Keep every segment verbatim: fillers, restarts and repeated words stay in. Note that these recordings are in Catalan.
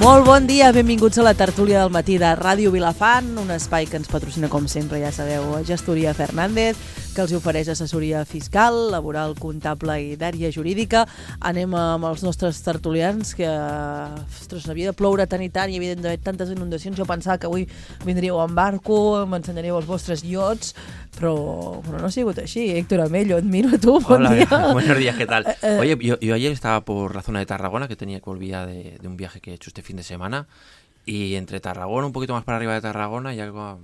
Molt bon dia, benvinguts a la tertúlia del matí de Ràdio Vilafant, un espai que ens patrocina, com sempre, ja sabeu, Gestoria Fernández, que els ofereix assessoria fiscal, laboral, comptable i d'àrea jurídica. Anem amb els nostres tertulians, que ostres, havia de ploure tant i tant, hi havia d'haver tantes inundacions. Jo pensava que avui vindríeu en barco, m'ensenyaríeu els vostres iots, però, però no ha sigut així. Héctor Amello, et miro a tu, bon Hola, día. Buenos días, ¿qué tal? Oye, yo, yo ayer estaba por la zona de Tarragona, que tenía que volver de, de un viaje que he hecho este fin de semana, y entre Tarragona, un poquito más para arriba de Tarragona, y algo...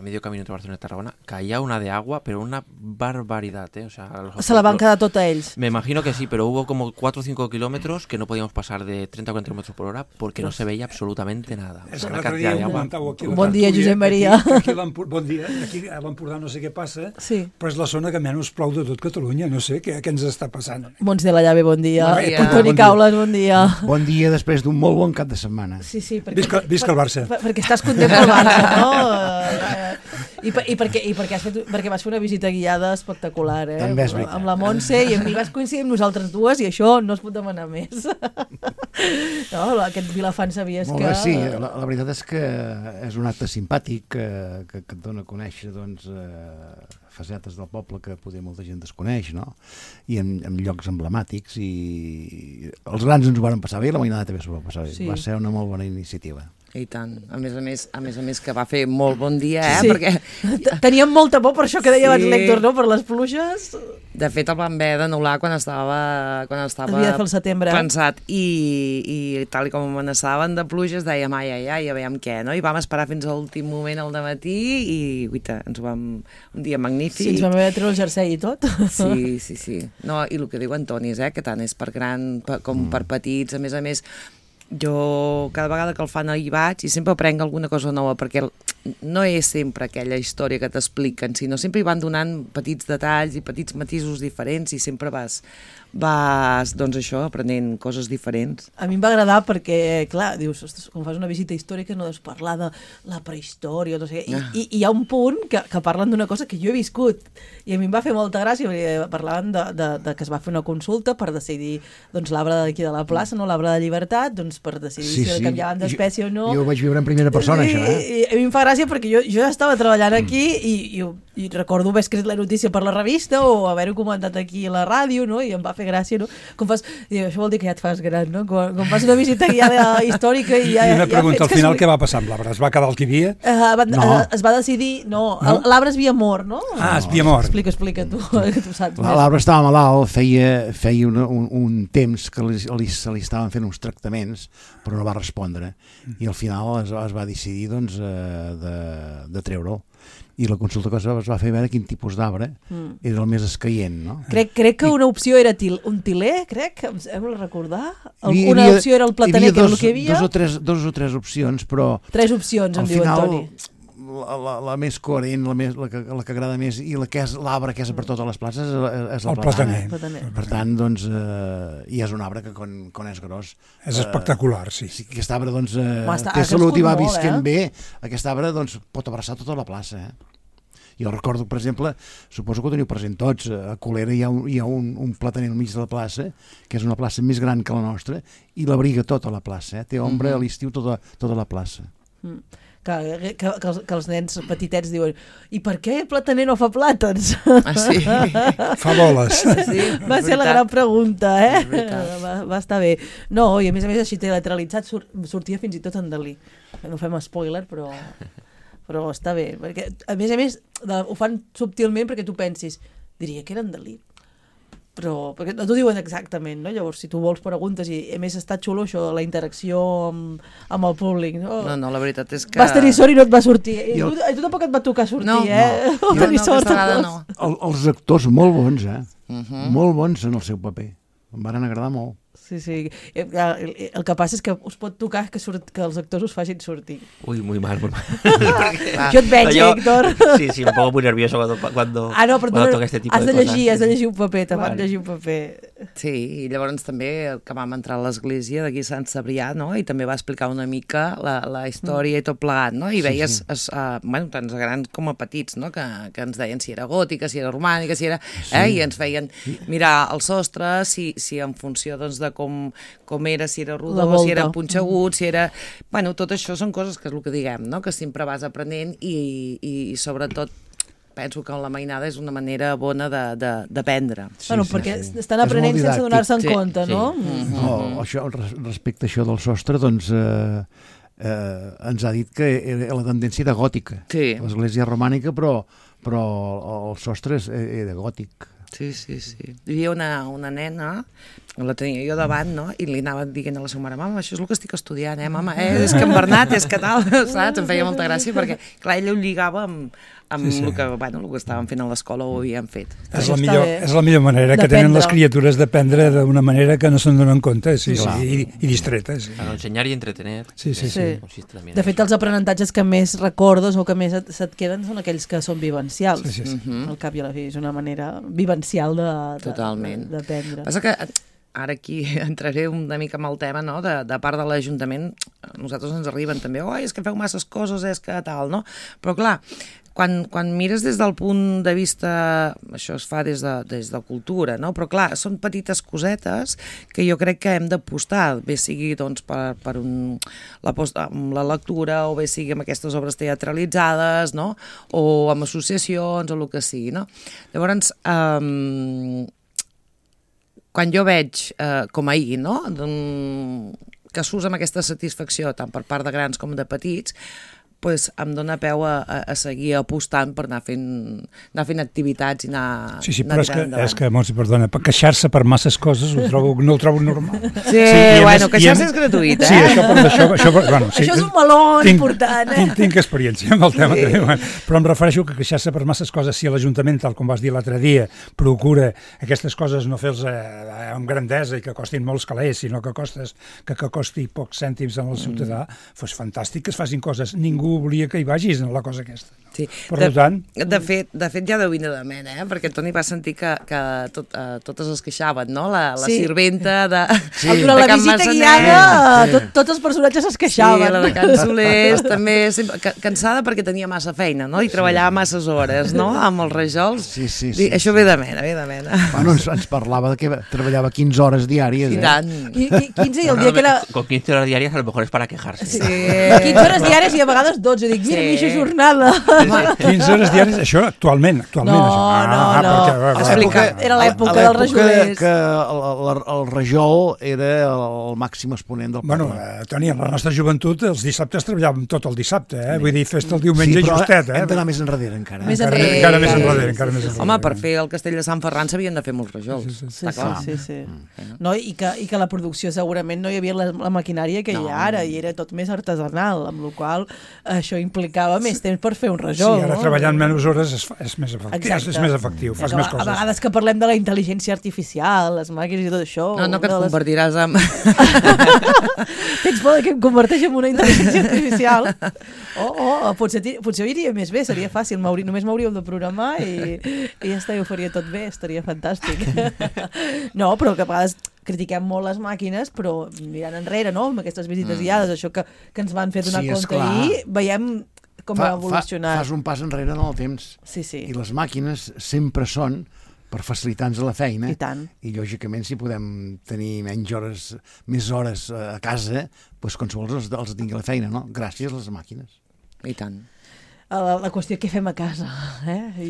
medio camino entre Barcelona y Tarragona, caía una de agua, pero una barbaridad, ¿eh? O sea, los, se la van quedar tot a ells. Me imagino que sí, pero hubo como cuatro o cinco kilómetros que no podíamos pasar de treinta o cuarenta kilómetros por hora porque no se veía absolutamente nada. És que l'altre dia ho comentàveu aquí. Bon dia, Josep Maria. Aquí, aquí bon dia. Aquí a l'Empordà no sé què passa, sí. Però és la zona que menys plou de tot Catalunya. No sé què, què ens està passant. Mons de la Llave, bon dia. Bon dia. Toni Bon Caules, bon dia. Bon dia després d'un molt bon cap de setmana. Sí, sí. Perquè, visca, visca el Barça. Per, perquè estàs content pel Barça, no? I, per, i, perquè, i perquè, has fet, perquè vas fer una visita guiada espectacular, eh? També és veritat. Amb la Montse i amb mi vas coincidir amb nosaltres dues i això no es pot demanar més. No, aquest Vilafant sabies Molt que... bé, sí, la, la veritat és que és un acte simpàtic que, que, que et dona a conèixer doncs, eh, facetes del poble que poder molta gent desconeix, no? I en, en llocs emblemàtics, i els grans ens ho van passar bé i la mainada també s'ho va passar bé. Sí. Va ser una molt bona iniciativa. I tant. A més a més, a més a més que va fer molt bon dia, eh? Sí. Perquè... Teníem molta por per això que deia abans Sí. l'Héctor, no? Per les pluges. De fet, el van haver d'anul·lar quan estava, quan estava Havia de fer el setembre. pensat i, i tal com amenaçaven de pluges, dèiem ai, ai, ai, a veure què, no? I vam esperar fins a l'últim moment al dematí i, guita, ens ho vam... Un dia magnífic. Sí, ens vam haver de treure el jersei i tot. Sí, sí, sí. No, i el que diu Antoni és, eh, que tant és per gran per, com mm. per petits, a més a més... Jo cada vegada que el fan hi vaig i sempre aprenc alguna cosa nova, perquè no és sempre aquella història que t'expliquen, sinó sempre hi van donant petits detalls i petits matisos diferents i sempre vas, vas doncs això, aprenent coses diferents. A mi em va agradar perquè, clar, dius, ostres, quan fas una visita històrica no deus parlar de la prehistòria, no sé, i, ah. i, i hi ha un punt que, que parlen d'una cosa que jo he viscut i a mi em va fer molta gràcia, perquè parlaven de, de, de que es va fer una consulta per decidir doncs, l'arbre d'aquí de la plaça, no l'arbre de Llibertat, doncs per decidir sí, si sí. canviaven d'espècie o no. Jo ho vaig viure en primera persona, I, això, eh? I, i a mi em fa gràcia perquè jo, jo estava treballant aquí mm. i, i, i recordo haver escrit la notícia per la revista o haver-ho comentat aquí a la ràdio, no? I em va fer gràcia, no? Com fas, i això vol dir que ja et fas gran, no? Quan, quan fas una visita guiada històrica i ja... I una ja pregunta, al final que... què va passar amb l'arbre? Es va quedar el que hi havia? Uh, va, no. uh, es va decidir... No, no? l'arbre es havia mort, no? Ah, es havia mort. Explica, explica tu, que tu saps. L'arbre estava malalt, feia, feia un, un, un temps que li, li, se li estaven fent uns tractaments, però no va respondre. I al final es, es va decidir doncs, de, de treure'l. I la consulta que es va, es va fer veure quin tipus d'arbre mm. era el més escaient, no? Crec, crec que una opció era til, un tiler, crec, em sembla recordar. El, hi, una havia, opció era el plataner, que era el que hi havia. Dos o tres, dos o tres opcions, però... Tres opcions, em diu Antoni. La, la, la més coherent, la, més, la, que, la que agrada més i la que és l'arbre que és per totes les places és, és el, el plataner. plataner. Per tant, doncs, eh, i és un arbre que quan, quan és gros... És eh, espectacular, sí. sí. Aquest arbre doncs, eh, Ma, està, té salut i va molt, visquent eh? bé. Aquest arbre doncs, pot abraçar tota la plaça, eh? Jo recordo, per exemple, suposo que ho teniu present tots, a Colera hi ha, un, hi ha un, un plataner al mig de la plaça, que és una plaça més gran que la nostra, i l'abriga tota la plaça, eh? Té ombra mm-hmm. a l'estiu tota, tota la plaça. Mm. Que, que, que, els, que els nens petitets diuen i per què el plataner no fa plàtans? Ah, sí? Fa boles. Sí, va ser la gran pregunta, eh? Va, va estar bé. No, i a més a més així teatralitzat sur, sortia fins i tot en Dalí. No fem spoiler, però... però està bé, perquè a més a més de, ho fan subtilment perquè tu pensis diria que eren Dalí, però perquè no t'ho diuen exactament, no? Llavors si tu vols preguntes i a més està xulo això, la interacció amb, amb el públic, no? No, no, la veritat és que... Vas tenir sort i no et va sortir, i el... tu, tu tampoc et va tocar sortir, no, eh? No, no, no, sort, no. El, els actors molt bons, eh? Uh-huh. Molt bons en el seu paper, em van agradar molt. Sí, sí. El, el que passa és que us pot tocar que, surt, que els actors us facin sortir. Uy, muy mal, muy mal. Jo et veig, yo, Héctor. Sí, sí, un poco muy nervioso cuando, cuando, ah, no, però cuando tu toca este tipo has de de llegir, cosas. Has de llegir un paper, te vale. Has de llegir un paper. Sí, i llavors també que vam entrar a l'església d'aquí Sant Cebrià, no? I també va explicar una mica la, la història i tot plegat, no? I Sí, veies, sí. es, uh, bueno, tant els grans com a petits, no? Que, que ens deien si era gòtica, si era romànica, si era... Eh? I ens feien mirar el sostre, si, si en funció doncs, de com, com era, si era La rodó, volta. si era punxegut, si era... Bueno, tot això són coses que és el que diguem, no? Que sempre vas aprenent i, i, i sobretot penso que la mainada és una manera bona d'aprendre. Sí, bueno, sí, perquè sí. estan aprenent És molt sense donar-se en didàctic. compte, Sí, no? sí. Mm. No, això, res- respecte a això del sostre, doncs eh, eh, ens ha dit que era la tendència era gòtica. Sí. L'església romànica, però, però el sostre és- era gòtic. Sí, sí, sí. Hi havia una, una nena, la tenia jo davant, no? I li anava dient a la seva mare, mama, això és el que estic estudiant, eh, mama? Eh, és que en Bernat, és que tal, saps? Em feia molta gràcia perquè, clar, ella ho lligava amb, amb Sí, sí. el que, bueno, el que estaven fent a l'escola o ho havien fet. És Això la, està millor, bé. és la millor manera que D'aprendre. tenen les criatures d'aprendre d'una manera que no se'n donen compte, sí, Clar. sí, i, i distretes. Sí. Claro, enseñar y entretener. Sí, sí, eh, sí. consiste también De en fet, eso. els aprenentatges que més recordes o que més et, se't queden són aquells que són vivencials. Sí, sí, sí. Mhm. Al cap i a la fi és una manera vivencial de, de, Totalment. de- d'aprendre. Passa que ara aquí entraré una mica amb el tema, no?, de, de part de l'Ajuntament, a nosaltres ens arriben també, oi, és que feu masses coses, és que tal, no? Però clar, quan, quan mires des del punt de vista, això es fa des de, des de cultura, no? Però clar, són petites cosetes que jo crec que hem d'apostar, bé sigui doncs, per, per un, la, post, amb la lectura, o bé sigui amb aquestes obres teatralitzades, no?, o amb associacions, o el que sigui, no? Llavors, eh, quan jo veig, eh, com ahir, no?, doncs, que s'usa amb aquesta satisfacció tant per part de grans com de petits, pues, em dona peu a, a, a seguir apostant per anar fent, anar fent activitats i anar, Sí, sí, anar però és que, tirant endavant. és que Montse, perdona, per queixar-se per masses coses ho trobo, no ho trobo normal. Sí, i a bueno, més- queixar-se i a- és gratuït, eh? Sí, això, per, això, això, per, bueno, sí, Això és un meló tinc, important, eh? Tinc, tinc experiència amb el tema, sí. també, bueno, però em refereixo que queixar-se per masses coses, si l'Ajuntament, tal com vas dir l'altre dia, procura aquestes coses no fer-les eh, amb grandesa i que costin molts calés, sinó que, costes, que, que costi pocs cèntims al ciutadà, mm. fos fantàstic que es facin coses. Ningú volia que hi vagis en la cosa aquesta. No? Sí. Per de, tant... De fet, de fet ja deu vindre de ment, eh? Perquè el Toni va sentir que, que tot, uh, totes es queixaven, no? La, la Sí. sirventa de, Sí. Durant de la Can visita Massanet. guiada, tot, tots els personatges es queixaven. Sí, la de Can Solers, també sempre, ca- cansada perquè tenia massa feina, no? I treballava masses hores, no? Amb els rajols. Sí, sí, Dir, sí, Això sí. ve de mena, ve de mena. Bueno, ens, ens parlava de que treballava quinze hores diàries. I Eh? tant. I, i quinze i el No, dia no, que era... Con quince horas diarias a lo mejor es para quejarse. Sí. quinze hores diàries i a vegades dotze. Dic, mira, Sí. mitja jornada. quinze hores diàries, això actualment, actualment. No, això. no, no. perquè, va, va, Explica. va. Era l'època A dels l'època rajolers. que el, el, el rajol era el màxim exponent del Bueno, poble. eh, Toni, en la nostra joventut els dissabtes treballàvem tot el dissabte, eh? Vull dir, festa el diumenge sí, però justet, eh? hem d'anar més enrere encara. Més encara, enrere. encara més Sí, enrere, sí, encara sí, més sí. enrere. Home, per fer el castell de Sant Ferran s'havien de fer molts rajols. Sí, sí, sí. Sí, Està sí, clar. sí, sí. No, i, que, I que la producció segurament no hi havia la, la maquinària que No. hi ha ara, i era tot més artesanal, amb la qual cosa això implicava més temps per fer un Sí, rajol. ara no? treballant menys hores és, fa- és més efectiu, és, és més efectiu, fas Que més a, coses. a vegades que parlem de la intel·ligència artificial, les màquines i tot això... No, no, que et una de les- convertiràs en... Tens por que em converteix en una intel·ligència artificial? O oh, oh, potser, ti- potser iria més bé, seria fàcil, m'hauria- només m'hauríeu de programar i, i ja està, i ho faria tot bé, estaria fantàstic. No, però que a vegades critiquem molt les màquines, però mirant enrere, no?, amb aquestes visites Mm. guiades, això que, que ens van fer donar Sí, compte esclar. ahir, veiem com ha evolucionat. Fas un pas enrere en el temps. Sí, sí, I les màquines sempre són per facilitar-nos la feina. i tant. I lògicament si podem tenir menys hores, més hores a casa, doncs qualsevol els, els tingui la feina, no? Gràcies a les màquines. I tant. La, la qüestió què fem a casa, eh? I...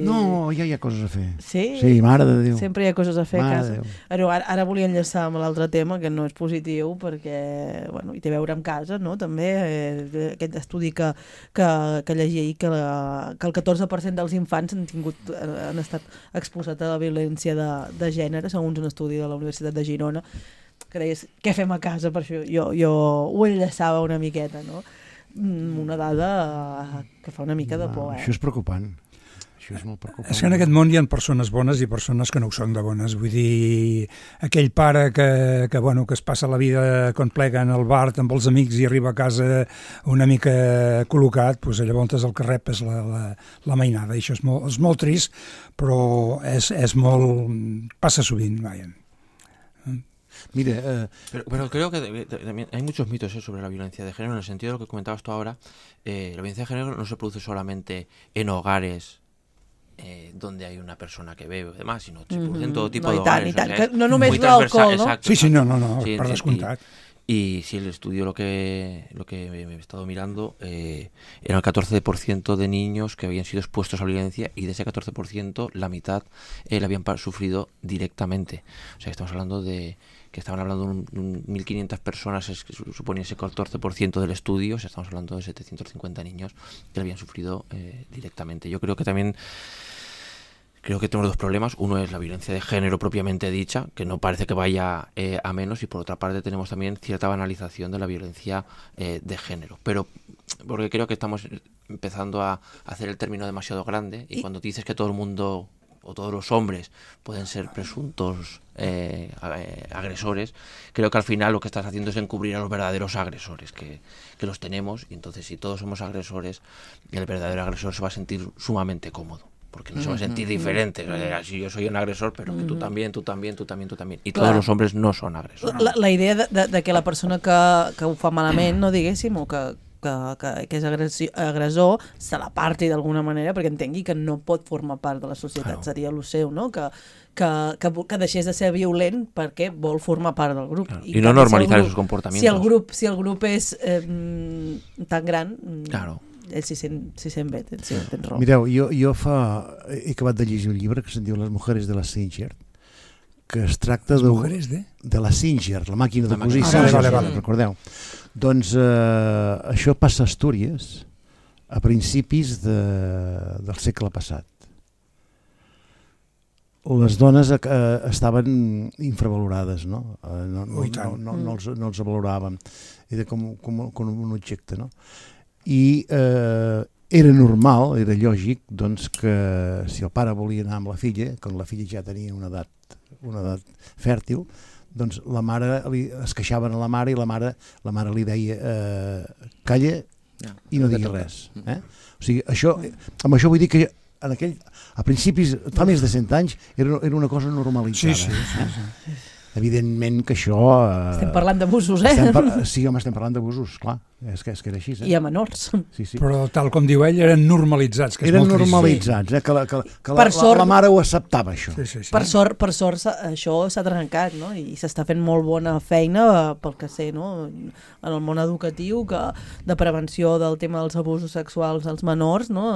No, ja hi ha coses a fer. Sí? Sí, mare de Déu. Sempre hi ha coses a fer a Mare casa. de Déu. Però ara, ara volia enllaçar amb l'altre tema, que no és positiu, perquè bueno, hi té a veure amb casa, no? També eh, aquest estudi que, que, que llegia ahir, que, la, que el catorze per cent dels infants han, tingut, han estat exposats a la violència de, de gènere, segons un estudi de la Universitat de Girona, que deies, què fem a casa? Per això jo, jo ho enllaçava una miqueta, no? Una dada que fa una mica de por, eh? Això és preocupant. Això és molt preocupant. És que en aquest món hi ha persones bones i persones que no ho són de bones. Vull dir, aquell pare que, que, bueno, que es passa la vida quan plega en el bar amb els amics i arriba a casa una mica col·locat, doncs llavors el que rep és la, la, la mainada. I això és molt, és molt trist, però és, és molt... passa sovint, vaja. Mira, eh, pero, pero creo que también hay muchos mitos ¿eh? sobre la violencia de género, en el sentido de lo que comentabas tú ahora. Eh, la violencia de género no se produce solamente en hogares eh, donde hay una persona que bebe o demás, sino se produce en todo tipo no, de i tant, hogares. i tant, O sea, que no només muy l'alcohol, transversal, no? exacto, Sí, sí, exacto. no, no, no, Sí, per y- descomptat. Y si el estudio lo que lo que me, me he estado mirando eh, era el catorce por ciento de niños que habían sido expuestos a violencia, y de ese catorce por ciento la mitad eh, la habían pa- sufrido directamente. O sea, que estamos hablando de que estaban hablando de un, de un mil quinientas personas, es que su- suponía ese catorce por ciento del estudio. O sea, estamos hablando de setecientos cincuenta niños que lo habían sufrido eh, directamente. Yo creo que también Creo que tenemos dos problemas. Uno es la violencia de género propiamente dicha, que no parece que vaya eh, a menos, y por otra parte tenemos también cierta banalización de la violencia eh, de género. Pero porque creo que estamos empezando a hacer el término demasiado grande, y, y cuando dices que todo el mundo o todos los hombres pueden ser presuntos eh, agresores, creo que al final lo que estás haciendo es encubrir a los verdaderos agresores, que, que los tenemos, y entonces si todos somos agresores, el verdadero agresor se va a sentir sumamente cómodo, porque no se va a sentir diferente. Si yo soy un agresor, però que tu també, tu també, tu també, tu també. I tots els homes no són agressors. La, la idea de, de, de que la persona que, que ho fa malament, no diguéssim, o que, que, que, que és agressi, agressor, se l'aparti d'alguna manera perquè entengui que no pot formar part de la societat. Claro. Seria el seu, no? Que, que, que, que deixés de ser violent perquè vol formar part del grup. Claro. I, I no normalitzar si els comportamientos. Si el grup, si el grup és eh, tan gran... Claro. Ell s'hi sent, s'hi sent bé, tens, tens raó. Mireu, jo, jo fa... he acabat de llegir un llibre que se'n diu Les mujeres de la Singer, que es tracta Les de... mujeres de? De la Singer, la màquina de cosir. Ah, vale, vale, vale. Recordeu? Doncs eh, això passa a Astúries a principis de, del segle passat. Les dones eh, estaven infravalorades, no? Eh, no, no, no, no, no, els, no els valoràvem. Era com, com, com un objecte, no? I eh, era normal, era lògic, doncs, que si el pare volia anar amb la filla, quan la filla ja tenia una edat, una edat fèrtil, doncs la mare li, es queixaven a la mare, i la mare, la mare li deia eh, calla no, i no diguis res. Eh? O sigui, això, amb això vull dir que en aquell, a principis, fa més de cent anys, era, era una cosa normalitzada. Sí, sí, sí, sí. Eh? Evidentment que això... Eh, estem parlant d'abusos, eh? Par sí, home, estem parlant d'abusos, clar. És que, és que era així. Eh? I a menors. Sí, sí. Però tal com diu ell, eren normalitzats. Que és eren molt normalitzats, eh? que, la, que, que la, sort, la, la mare ho acceptava, això. Sí, sí, sí. Per sort, per sort això s'ha trencat, no? I s'està fent molt bona feina, pel que sé, no? En el món educatiu, que, de prevenció del tema dels abusos sexuals als menors, no?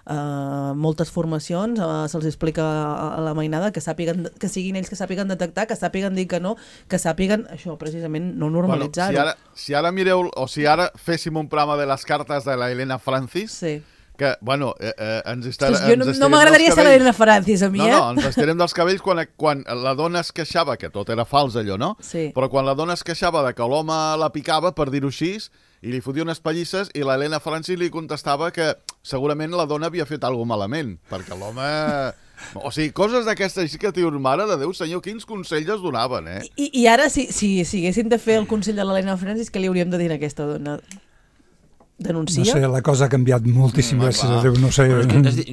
Uh, moltes formacions, uh, se'ls explica a la mainada que sàpiguen, que siguin ells que sàpiguen detectar, que sàpiguen dir que no, que sàpiguen això, precisament, no normalitzar-ho. Bueno, si, ara, si ara mireu, o si ara féssim un programa de les cartes de la Helena Francis, sí. que, bueno, eh, eh, ens estarem Ostres, jo no, no m'agradaria ser l'Helena Francis, a mi, no, eh? No, ens estarem dels cabells quan, quan la dona es queixava, que tot era fals allò, no? Sí. Però quan la dona es queixava de que l'home la picava, per dir-ho així, i li fotia unes pallisses, i l'Helena Francis li contestava que segurament la dona havia fet alguna malament, perquè l'home... O sigui, coses d'aquestes així que dius, mare de Déu, senyor, quins consells es donaven, eh? I, i ara, si, si, si haguéssim de fer el consell de l'Helena Francis, què li hauríem de dir a aquesta dona? Denuncia? No sé, la cosa ha canviat moltíssim, mm, gràcies a Déu, no sé.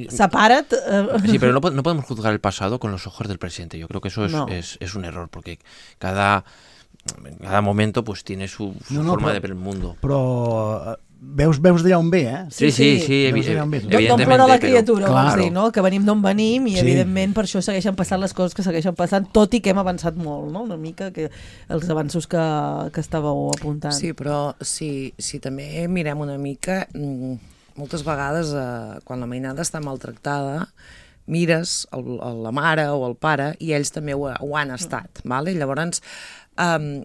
Separa't. Uh... Sí, pero no, no podemos juzgar el pasado con los ojos del presente. Yo creo que eso es, no. es, es un error, porque cada... cada momento pues tiene su, su no, no, forma però, de ver el mundo. Però veus, veus d'allà on ve, eh? Sí, sí, sí, sí evi evidentemente. D'on plora la criatura, però... claro. dir, no? Que venim d'on venim i sí. Evidentment per això segueixen passant les coses que segueixen passant, tot i que hem avançat molt, no? Una mica que els avanços que, que estàveu apuntant. Sí, però si, si també mirem una mica, moltes vegades eh, quan la mainada està maltractada, mires el, la mare o el pare i ells també ho, ho han estat, vale? Llavors Um,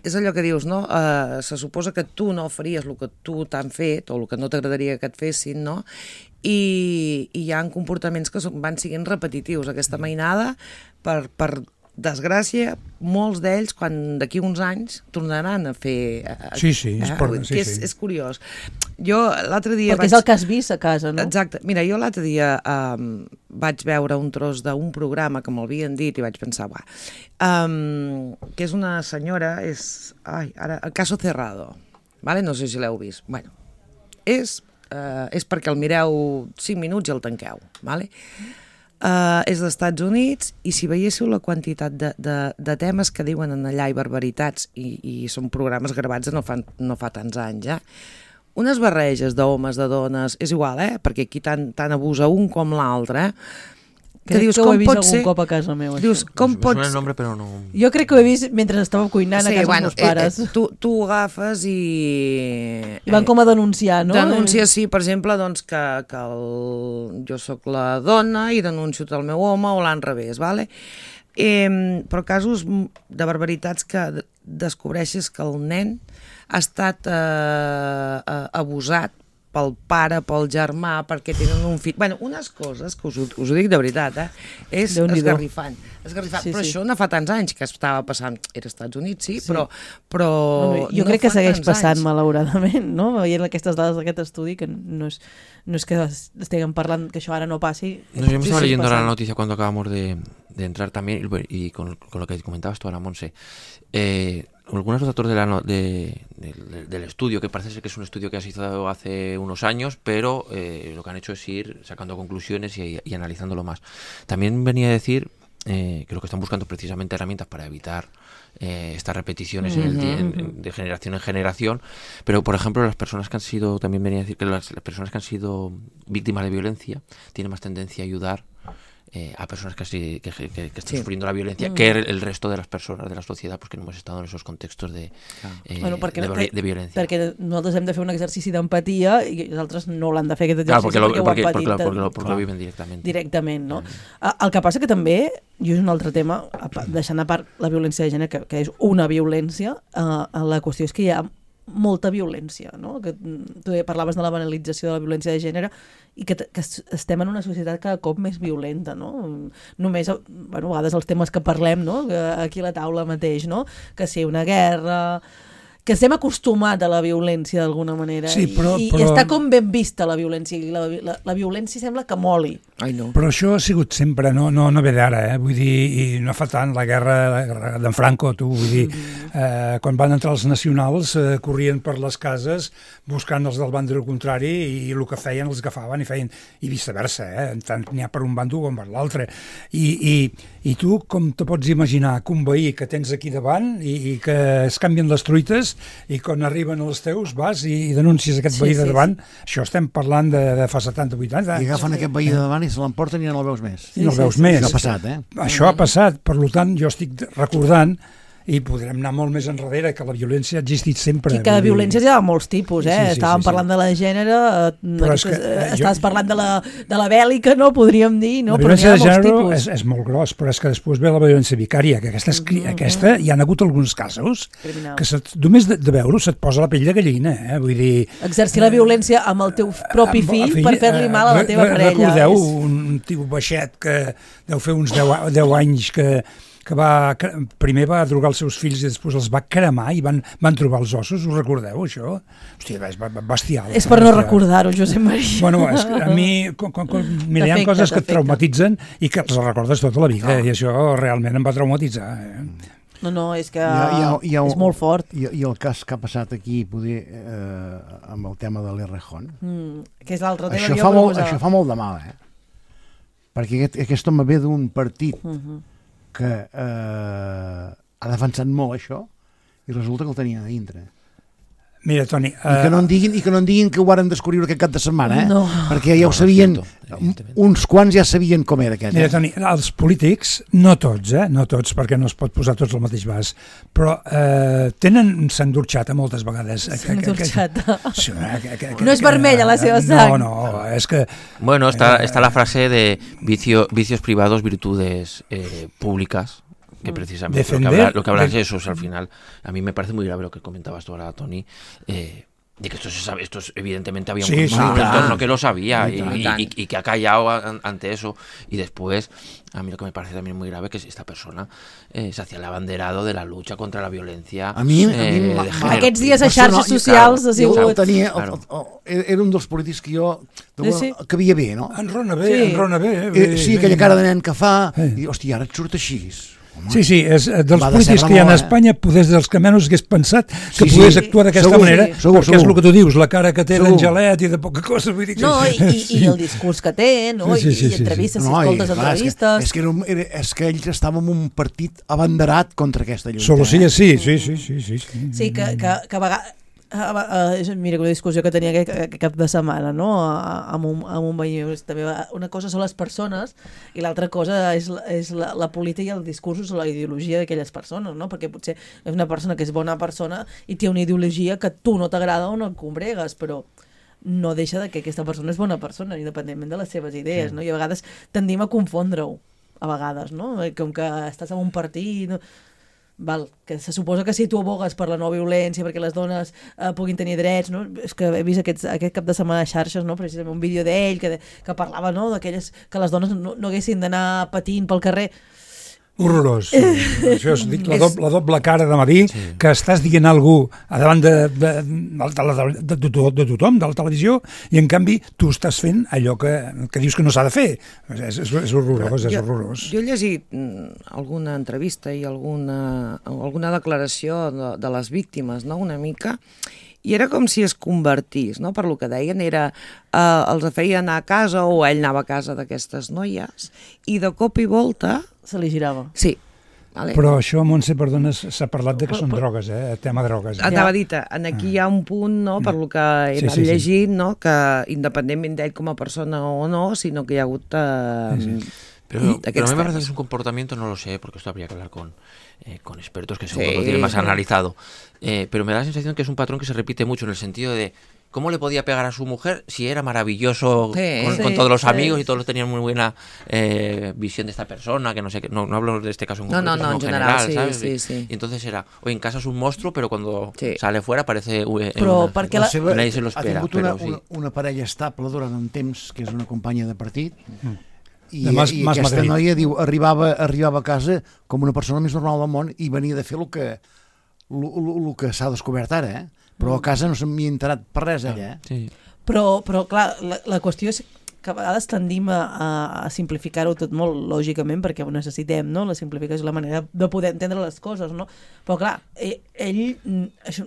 és allò que dius, no? Uh, se suposa que tu no faries el que tu t'han fet o el que no t'agradaria que et fessin, no? I, i hi ha comportaments que són, van siguent repetitius. Aquesta mainada, per, per desgràcia, molts d'ells, quan d'aquí uns anys, tornaran a fer... Uh, sí, sí, és, eh? per, sí, és, sí. és curiós. Jo l'altre dia... Perquè vaig... és el que has vist a casa, no? Exacte. Mira, jo l'altre dia um, vaig veure un tros d'un programa que m'havien dit i vaig pensar, va, um, que és una senyora, és... Ai, ara, el Caso Cerrado, vale? No sé si l'heu vist. Bueno, és, uh, és perquè el mireu cinc minuts i el tanqueu, vale? uh, és dels Estats Units, i si veiéssiu la quantitat de, de, de temes que diuen en allà i barbaritats, i, i són programes gravats de no fa, no fa tants anys, eh? Unes barreges d'homes, de dones, és igual, eh? Perquè aquí tant, tant abusa un com l'altre, eh? Crec que, dius, que ho he vist algun ser... cop a casa meu. Dius, com pots... el nombre, però no... Jo crec que ho he vist mentre estava cuinant sí, a casa bueno, dels meus pares. Eh, eh, tu, tu ho agafes i... I van com a denunciar, no? Denuncia, sí, per exemple, doncs, que, que el... jo sóc la dona i denuncio el meu home o l'an revés, vale? Eh, però casos de barbaritats que descobreixes que el nen ha estat eh, abusat pel pare, pel germà, perquè tenen un fill... Bueno, unes coses que us, us ho dic de veritat, eh? És esgarrifant. esgarrifant. Sí, però sí. Això no fa tants anys que estava passant. Era als Estats Units, sí, sí. però... però no, no, jo no crec que segueix passant, anys. malauradament, no? Veient aquestes dades d'aquest estudi, que no és, no és que estiguem parlant que això ara no passi... No, yo me estaba leyendo ahora la noticia cuando acabamos de, de entrar también, y con, con lo que comentabas tú ahora, Monse. Eh... Algunos datos de la no, de, de, del estudio, que parece ser que es un estudio que ha sido hace unos años, pero eh, lo que han hecho es ir sacando conclusiones y, y analizándolo más. También venía a decir eh, que lo que están buscando precisamente herramientas para evitar eh, estas repeticiones uh-huh. en el, en, en, de generación en generación, pero por ejemplo las personas que han sido, también venía a decir que las, las personas que han sido víctimas de violencia tienen más tendencia a ayudar Eh, a personas que, que, que, que están sí. sufriendo la violencia mm. que el, el resto de las personas de la sociedad, pues que no hemos estado en esos contextos de, eh, bueno, de, no, de violencia. Perquè nosaltres hem de fer un exercici d'empatia i els altres no l'han de fer aquest exercici, claro, perquè, lo, perquè, perquè, ho han patit. Perquè, perquè, perquè, perquè lo viven directament. Directament, no? Mm. El que passa que també, i és un altre tema, deixant a part la violència de gènere, que, que és una violència, eh, la qüestió és que hi ha molta violència, no? Que tu parlaves de la banalització de la violència de gènere i que, que estem en una societat cada cop més violenta, no? Només, bueno, a vegades els temes que parlem, no? Aquí a la taula mateix, no? Que si una guerra... que estem acostumats a la violència d'alguna manera sí, però, i, però... i està com ben vista la violència i la, la, la violència sembla que moli. Ai, no. Però això ha sigut sempre, no, no, no ve d'ara, eh? Vull dir, i no fa tant la guerra d'en Franco, tu, vull dir, eh, quan van entrar els nacionals eh, corrien per les cases buscant els del bàndol contrari i el que feien els agafaven i feien, i viceversa, eh? Tant n'hi ha per un bàndol com per l'altre. I, i, I tu com te pots imaginar que un veí que tens aquí davant i, i que es canvien les truites i quan arriben els teus vas i, i denuncies aquest veí sí, de davant, sí, sí. Això estem parlant de, de fa setanta vuitanta anys. I agafen sí, aquest veí de davant i se l'emporten i no el veus més. I no el veus sí, sí, més. Això ha passat, eh? Això ha passat, per tant jo estic recordant i podrem anar molt més enrere, que la violència ha existit sempre. I que la violència hi ha molts tipus, eh? Sí, sí, Estàvem sí, sí. parlant de la gènere, aquestes, que, eh, estaves jo... parlant de la, de la bèl·lica, no? Podríem dir, no? La violència de gènere és, és molt gros, però és que després ve la violència vicària, que aquesta, és, mm-hmm. aquesta hi ha hagut alguns casos Criminal. que set, només de, de veure-ho se't posa la pell de gallina, eh? Vull dir... Exercir la violència amb el teu propi fill, fill per fer-li mal a la teva re, parella. Recordeu és... un tio baixet que deu fer uns deu anys que que va, primer va drogar els seus fills i després els va cremar i van, van trobar els ossos, us recordeu això? Hòstia, és bestial. És per no recordar-ho, Josep Maria. Bueno, és que a mi, com, com, com, mira, hi ha coses que et traumatitzen i que els recordes tota la vida, oh. i això realment em va traumatitzar. Eh? No, no, és que hi ha, hi ha, hi ha, és molt fort. I, I el cas que ha passat aquí, poder, eh, amb el tema de l'Errejón, mm, que és l'altre tema això, fa molt, això fa molt de mal, eh? Perquè aquest, aquest home ve d'un partit uh-huh. que eh, ha defensat molt això i resulta que el tenien a dintre. Mira, Toni... Uh... I, que no en diguin, I que no en diguin que ho varen descobrir aquest cap de setmana, eh? No. Perquè ja ho no, sabien, no cierto, uns quants ja sabien com era aquest. Mira, eh? Toni, els polítics, no tots, eh? No tots, perquè no es pot posar tots al mateix vas, però eh, tenen s'endurxata moltes vegades. S'endurxata. Sí, no és vermella la seva sang. No, no, és que... Bueno, está, está la frase de vicio, vicios privados, virtudes eh, públicas. Que precisamente Defender, lo que, habla, lo que hablas de eso, o sea, al final, a mí me parece muy grave lo que comentabas tú ahora, Toni, eh, de que esto se sabe, esto es, evidentemente había un, sí, sí, un claro. entorno que lo sabía y, y, y, y, y que ha callado a, ante eso, y después, a mí lo que me parece también muy grave que esta persona eh, se hacía el abanderado de la lucha contra la violencia a mi, eh, a mi, de género. Aquests dies a xarxes socials ha sigut... Tenia, claro. el, el, era un dels polítics que jo sí, sí. que bé, no? Enrona bé, sí. enrona bé. Eh, sí, aquella cara de nen que fa, eh. i hòstia, ara et surt així. Sí, sí, és dels Va polítics decebre que hi ha a molt, eh? Espanya, poder dels que menys hagués pensat que Sí, sí. pogués actuar d'aquesta Segur, manera, sí. Segur, perquè és segur. el que tu dius, la cara que té Segur. d'Angelet i de poca cosa. Vull dir que... No, i, i, i el discurs que té, no? Sí, sí, sí, I, sí, i entrevistes, sí. si No, i, escoltes clar, entrevistes... És que, és, que era, un- era, és que ells estaven en un partit abanderat contra aquesta lluita. Solo sí, eh? sí, sí, sí, sí, sí, sí. Sí, que, que, que a vegades... Uh, mira, una discussió que tenia aquest, aquest cap de setmana, no? A- amb un, amb un veí. També una cosa són les persones i l'altra cosa és, la- és la, la política i el discurs o la ideologia d'aquelles persones, no? Perquè potser és una persona que és bona persona i té una ideologia que a tu no t'agrada o no et combregues, però no deixa de que aquesta persona és bona persona, independentment de les seves idees, no? I a vegades tendim a confondre-ho, a vegades, no? Com que estàs en un partit... No? Val, que se suposa que si tu abogues per la no violència, perquè les dones eh, puguin tenir drets, no? És que he vist aquests, aquest cap de setmana a xarxes, no? Precisament un vídeo d'ell que, de, que parlava, no? D'aquelles que les dones no, no haguessin d'anar patint pel carrer. Horrorós. Això és dic, la, doble, la doble cara de dir sí. que estàs dient a algú a davant de, de, de, de, de, de, de tothom, de la televisió, i en canvi tu estàs fent allò que, que dius que no s'ha de fer. És, és, és horrorós, és jo, horrorós. Jo he llegit mm, alguna entrevista i alguna, alguna declaració de, de les víctimes, no?, una mica, i era com si es convertís, no?, per lo que deien, era, eh, els feia anar a casa o ell anava a casa d'aquestes noies i de cop i volta... Se li girava. Sí. Vale. Però això, Montse, perdona, s'ha parlat de que són drogues, eh? El tema drogues. Eh? Anava a dir, aquí hi ha un punt, no?, per lo que he Sí, anat sí, sí. llegint, no?, que independentment d'ell com a persona o no, sinó que hi ha hagut... Eh, Sí, sí. Pero, aquests pero a mí me temes. parece que es un comportamiento, no lo sé, porque esto habría que hablar con, eh, con expertos que seguro Sí. lo tienen más analizado. Eh, pero me da la sensación que es un patrón que se repite mucho en el sentido de cómo le podía pegar a su mujer si era maravilloso Sí, con, sí, con todos los sí. amigos y todos tenían muy buena eh, visión de esta persona, que no sé, qué, no, no hablo de este caso en No, concreto, no, no, sino en general, sí, ¿sabes? sí, sí. Y entonces era, oye, en casa es un monstruo, pero cuando Sí. sale fuera parece... eh, Però una- perquè la... seva- Nadie se lo espera, ha tingut però una, sí. una, una parella estable durant un temps, que és una companya de partit, i, De Mas- i Mas aquesta Madrid. noia diu, arribava, arribava a casa com una persona més normal del món i venia de fer el que, el, el, el que s'ha descobert ara, eh? Però a casa no se m'hi ha enterat per res, ella, eh? Sí. Però, però clar, la, la qüestió és que a vegades tendim a, a, a simplificar-ho tot molt, lògicament, perquè ho necessitem, no? La simplificació és la manera de poder entendre les coses, no? Però clar, ell, ell mm, això,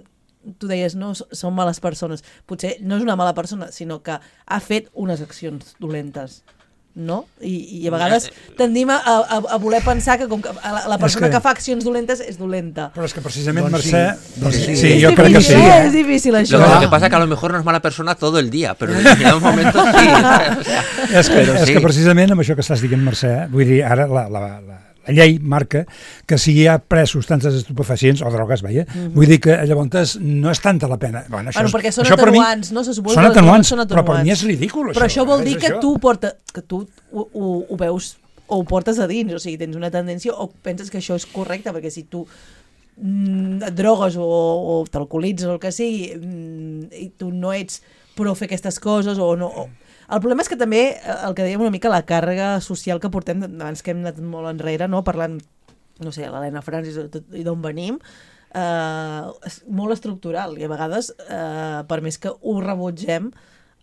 tu deies, no, s- són males persones. Potser no és una mala persona, sinó que ha fet unes accions dolentes, no? I, i a vegades tendim a, a, a voler pensar que com que la, la persona que- que... que fa accions dolentes és dolenta. Però és que precisament, Doncs sí, Mercè... doncs sí. sí, és jo crec que sí. difícil, eh? Eh? És difícil, Lo, això. lo que pasa es que a lo mejor no es mala persona todo el día, pero en determinados momentos sí. O sea, És que, però és sí. que precisament amb això que estàs dient, Mercè, vull dir, ara la, la, la, la llei marca que si hi ha pres substàncies estupefacients o drogues, veia, Mhm. vull dir que llavors no és tanta la pena. Bueno, això Bueno, és- perquè són això per mi- atenuants, no? Se suposa Són que les atenuants, drogues són però per mi atenuants. és ridícul, Però això vol és dir que això. tu, porta, que tu ho, ho, ho veus o ho portes a dins, o sigui, tens una tendència o penses que això és correcte, perquè si tu mm, et drogues o, o t'alcoholitzes o el que sigui mm, i tu no ets pro fer aquestes coses o no... O... El problema és que també, eh, el que dèiem una mica, la càrrega social que portem, abans que hem anat molt enrere, no? Parlant, no sé, l'Helena Francis i d'on venim, eh, és molt estructural i a vegades, eh, per més que ho rebutgem,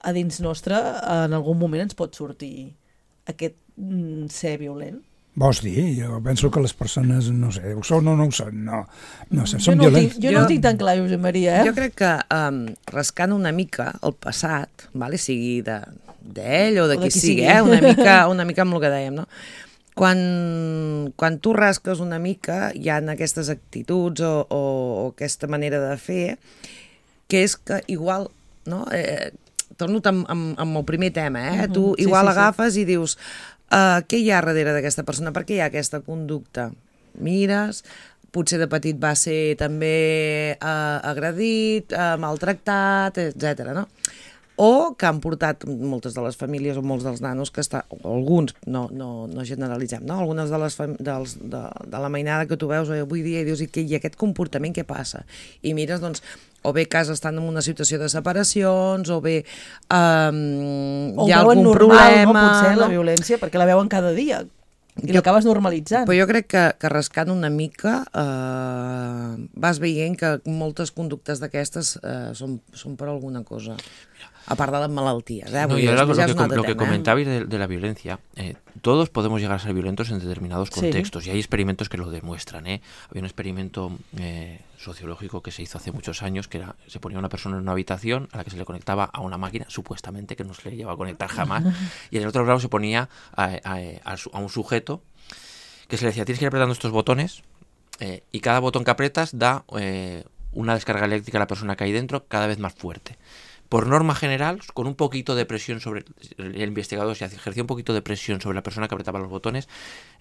a dins nostre en algun moment ens pot sortir aquest mm, ser violent. Vols dir? Jo penso que les persones, no sé, ho són o no ho són, no, no sé, Jo són no, ho violents. tinc, jo, jo no ho tinc tan clar, Josep Maria, eh? Jo crec que um, rascant una mica el passat, vale? Sigui de d'ell o de O de qui qui sigui, sigui. eh? una, mica, una mica amb el que dèiem, no? Quan, quan tu rasques una mica hi ha aquestes actituds o, o, o aquesta manera de fer que és que igual, no? Eh, torno amb, amb, amb el primer tema, eh? Mhm, Tu sí, igual sí, sí. agafes i dius uh, què hi ha darrere d'aquesta persona? Per què hi ha aquesta conducta? Mires, potser de petit va ser també uh, agredit, uh, maltractat, etcètera, no? O que han portat moltes de les famílies o molts dels nanos que estan, o alguns, no, no, no generalitzem, no? Algunes de, les fam dels, de, de la mainada que tu veus avui dia i dius, i, que, i aquest comportament què passa? I mires, doncs, o bé casa estan en una situació de separacions, o bé um, O hi ha veuen algun normal, problema... no, potser, la no? violència, perquè la veuen cada dia i Jo- l'acabes normalitzant. Però jo crec que, que rascant una mica eh, vas veient que moltes conductes d'aquestes eh, són, són per alguna cosa. A part de las malalties, ¿eh? No, y ahora lo que, com lo que comentabais de, de la violencia, eh, todos podemos llegar a ser violentos en determinados contextos, sí. Y hay experimentos que lo demuestran, ¿eh? Había un experimento eh, sociológico que se hizo hace muchos años, que era, se ponía una persona en una habitación a la que se le conectaba a una máquina, supuestamente, que no se le lleva a conectar jamás, y en el otro lado se ponía a, a, a, a un sujeto que se le decía, tienes que ir apretando estos botones, eh, y cada botón que apretas da eh, una descarga eléctrica a la persona que hay dentro cada vez más fuerte. Por norma general, con un poquito de presión sobre el investigador, si ejercía un poquito de presión sobre la persona que apretaba los botones,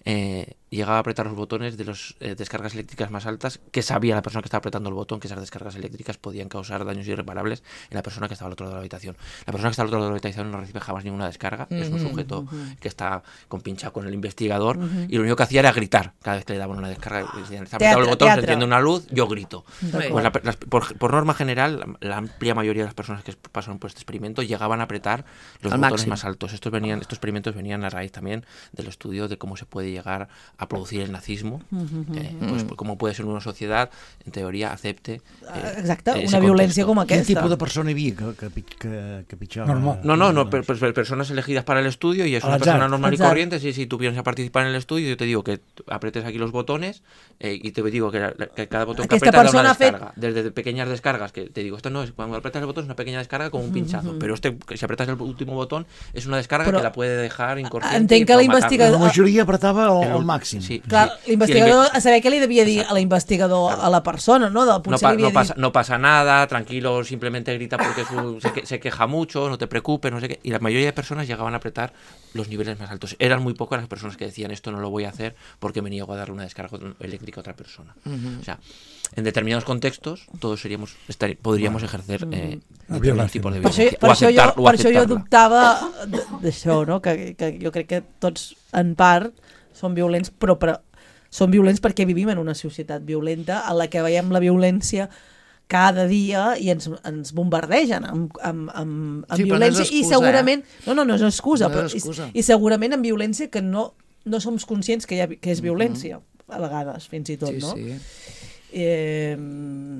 eh, llegaba a apretar los botones de las eh, descargas eléctricas más altas, que sabía la persona que estaba apretando el botón que esas descargas eléctricas podían causar daños irreparables en la persona que estaba al otro lado de la habitación. La persona que está al otro lado de la habitación no recibe jamás ninguna descarga, uh-huh, es un sujeto uh-huh. que está compinchado con el investigador, uh-huh. y lo único que hacía era gritar cada vez que le daban una descarga. Decían, está apretado el botón, teatro. Se enciende una luz, yo grito. Pues la, las, por, por norma general, la, la amplia mayoría de las personas que pasaron por este experimento llegaban a apretar los Al botones máximo. Más altos. Estos venían, estos experimentos venían a raíz también del estudio de cómo se puede llegar a producir el nazismo, uh-huh, eh, uh-huh. pues cómo puede ser una societat, en teoria, acepte eh, exacte, una violència com aquesta. Quin tipus de persona hi havia que, que, que, que pitjava? Normal. No, no, no per, per personas elegidas para el estudio y es una persona normal y corriente. Si, si tú vienes a participar en el estudio, yo te digo que apretes aquí los botones eh, y te digo que, que cada botón que apretas da una descarga. Fet... Desde pequeñas descargas, que te digo, esto no es, cuando apretas el botón es una pequeña descarga como un pinchazo, uh-huh. pero este, si apretas el último botón es una descarga però que la puede dejar inconsciente. Entenc que l'investigador... La majoria apretava al màxim. Sí, clar, sí. L'investigador, a saber què li devia dir a l'investigador, a la persona, ¿no? De, no, pa, no, pasa, no pasa nada, tranquilo, simplemente grita porque su, se, se queja mucho, no te preocupes, no sé qué. Y la mayoría de personas llegaban a apretar los niveles más altos. Eran muy pocas las personas que decían esto no lo voy a hacer porque me niego a darle una descarga eléctrica a otra persona. Uh-huh. O sea, en determinados contextos todos seríamos estar, podríamos bueno, ejercer eh, determinados tipos de violencia. Per això, per això, jo, per això jo dubtava d'això, no? que, que jo crec que tots en part són violents, però, però són violents perquè vivim en una societat violenta en la que veiem la violència cada dia i ens, ens bombardegen amb, amb, amb, amb sí, violència no excusa, i segurament, eh? no, no, no és excusa, no però, és excusa. I, i segurament amb violència que no, no som conscients que, hi ha, que és violència, mm-hmm. a vegades, fins i tot, sí, no? Sí. Eh,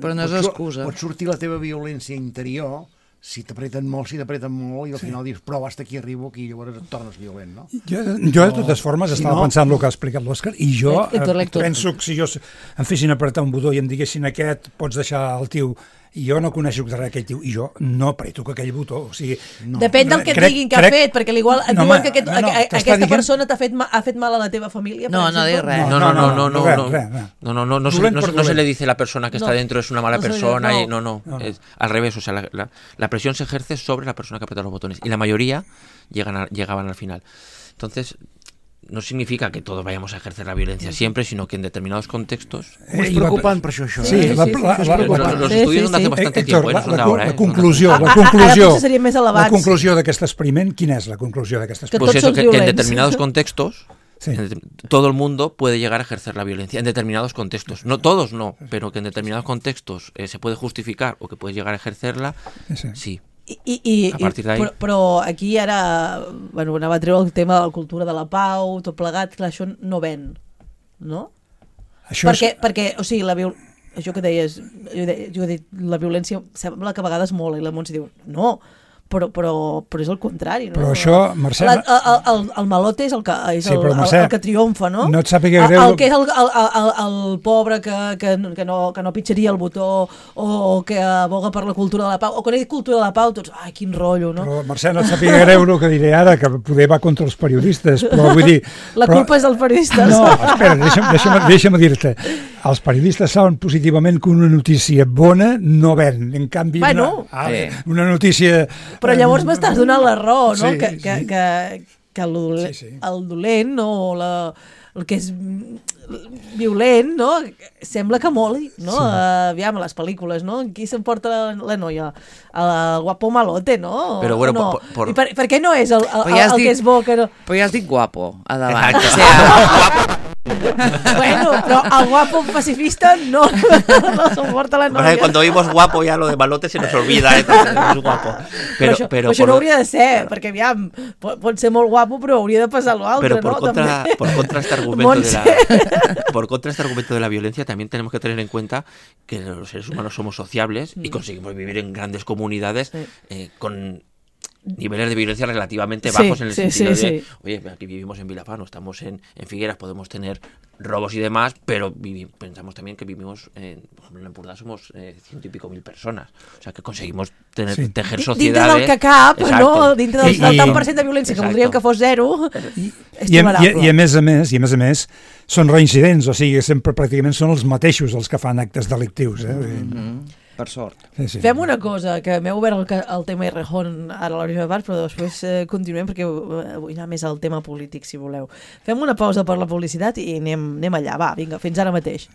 però no és excusa. Pot sortir la teva violència interior si t'apreten molt, si t'apreten molt i al sí. final dius, però hasta aquí arribo, aquí llavors et tornes violent, no? Jo, jo de totes formes, si estava no... pensant el que ha explicat l'Òscar i jo lector, lector. penso que si jo em fessin apretar un botó i em diguessin aquest pots deixar el tio i jo no coneixo res aquell tio i jo no apreto aquell botó, o sigui... No. Depèn del que et crec, diguin que crec... ha fet, perquè igual et no, diuen que aquest, no, no, a, aquesta dient... persona t'ha fet, ha fet mal a la teva família. No, no dic res. No, no, no, no, no, no, no, no, no, no, se, no, no se le dice a la persona que está no, dentro es una mala no persona, no, y no, no, no, no. Es al revés, o sea, la, la, la presión se ejerce sobre la persona que aprieta los botones y la mayoría llegan a, llegaban al final. Entonces... no significa que todos vayamos a ejercer la violencia siempre, sino que en determinados contextos... És preocupant per això, això. Sí, eh? la, sí, sí, la, sí, la, los, los, los estudios sí, sí. hace bastante Héctor, tiempo, eh, no son la, de ahora. La eh, conclusió, no la conclusió, ara seria més la conclusió d'aquest experiment, quina és la conclusió d'aquest experiment? Pues eso, que, que en determinados contextos... Sí. Todo el mundo puede llegar a ejercer la violencia en determinados contextos. No todos, no, pero que en determinados contextos eh, se puede justificar o que puedes llegar a ejercerla, sí. sí. I, i, i, però, però aquí ara bueno, anava a treure el tema de la cultura de la pau, tot plegat, clar, això no ven, no? Això perquè, és... perquè, o sigui, la viol... això que deies, jo, de, jo he dit, la violència sembla que a vegades molt, i la Montse diu, no, però, però, però és el contrari, no? Però això, Mercè... La, el, el, el malote és el que, és sí, el, Mercè, el, el que triomfa, no? No et sàpiga greu... El, el que és el, el, el, el pobre que, que, que, no, que no pitjaria el botó o, o que aboga per la cultura de la pau, o quan he dit cultura de la pau, tots, ai, quin rotllo, no? Però, Mercè, no et sàpiga greu el que diré ara, que poder va contra els periodistes, però vull dir... La però... culpa és dels periodistes. No, espera, deixa'm, deixa'm, deixa'm dir-te. Els periodistes saben positivament que una notícia bona no ven. En canvi, bueno, una, sí. una notícia... Però llavors m'estàs donant la raó, no? Sí, que, que, sí. que, que el, dolent, sí, sí. el dolent, no? La, el que és violent, no? Sembla que moli, no? Sí. Uh, aviam, les pel·lícules, no? Qui s'emporta la, la noia? El guapo malote, no? Però bueno, no? por, por... I per, per què no és el, el, el, ja el dit, que és bo? Que no... Però ja has dit guapo, a davant. Exacte. O sea, bueno, pero al guapo pacifista no, no soporta la novia. Cuando oímos guapo ya lo de malote se nos olvida, eh, es guapo. Pero, però això, però, això por... no hauria de ser, perquè aviam, pot, pot ser molt guapo, però hauria de passar l'altre, pero por ¿no? Contra, por contra este argumento de la, por contra este argumento de la violencia también tenemos que tener en cuenta que los seres humanos somos sociables mm. y conseguimos vivir en grandes comunidades sí. eh, con niveles de violencia relativamente bajos sí, en el sí, sentido sí, de, sí. oye, aquí vivimos en Vilafán, estamos en, en Figueras, podemos tener robos y demás, pero vivi- pensamos también que vivimos, en, por ejemplo, en Empordà somos eh, ciento y pico mil personas, o sea que conseguimos tener, Sí. tejer Dintre sociedades... del que cap, Exacto. no? Dintre del, I- del i- tant per cent de violència que Exacto. voldríem que fos zero, I, és i, a, i, tolerable. I a més a més, i a més a més, són reincidents, o sigui, sempre pràcticament són els mateixos els que fan actes delictius. Eh? Mm-hmm. Per sort. Sí, sí. Fem una cosa, que m'heu obert el, ca- el tema Errejón ara a la primera part, però després eh, continuem perquè eh, vull anar més al tema polític, si voleu. Fem una pausa per la publicitat i anem, anem allà. Va, vinga, fins ara mateix.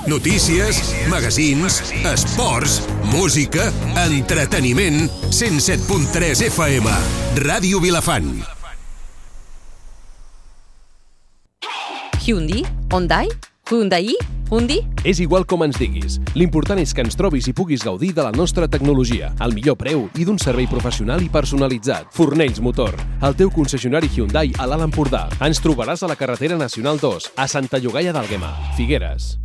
Notícies, magazins, esports, música, entreteniment, cent set punt tres F M, Ràdio Vilafant. Hyundai? Hyundai? Hyundai? Hyundai? És igual com ens diguis. L'important és que ens trobis i puguis gaudir de la nostra tecnologia, al millor preu i d'un servei professional i personalitzat. Fornells Motor, el teu concessionari Hyundai a l'Alt Empordà. Ens trobaràs a la carretera Nacional dos, a Santa Llogaia d'Àlguema, Figueres.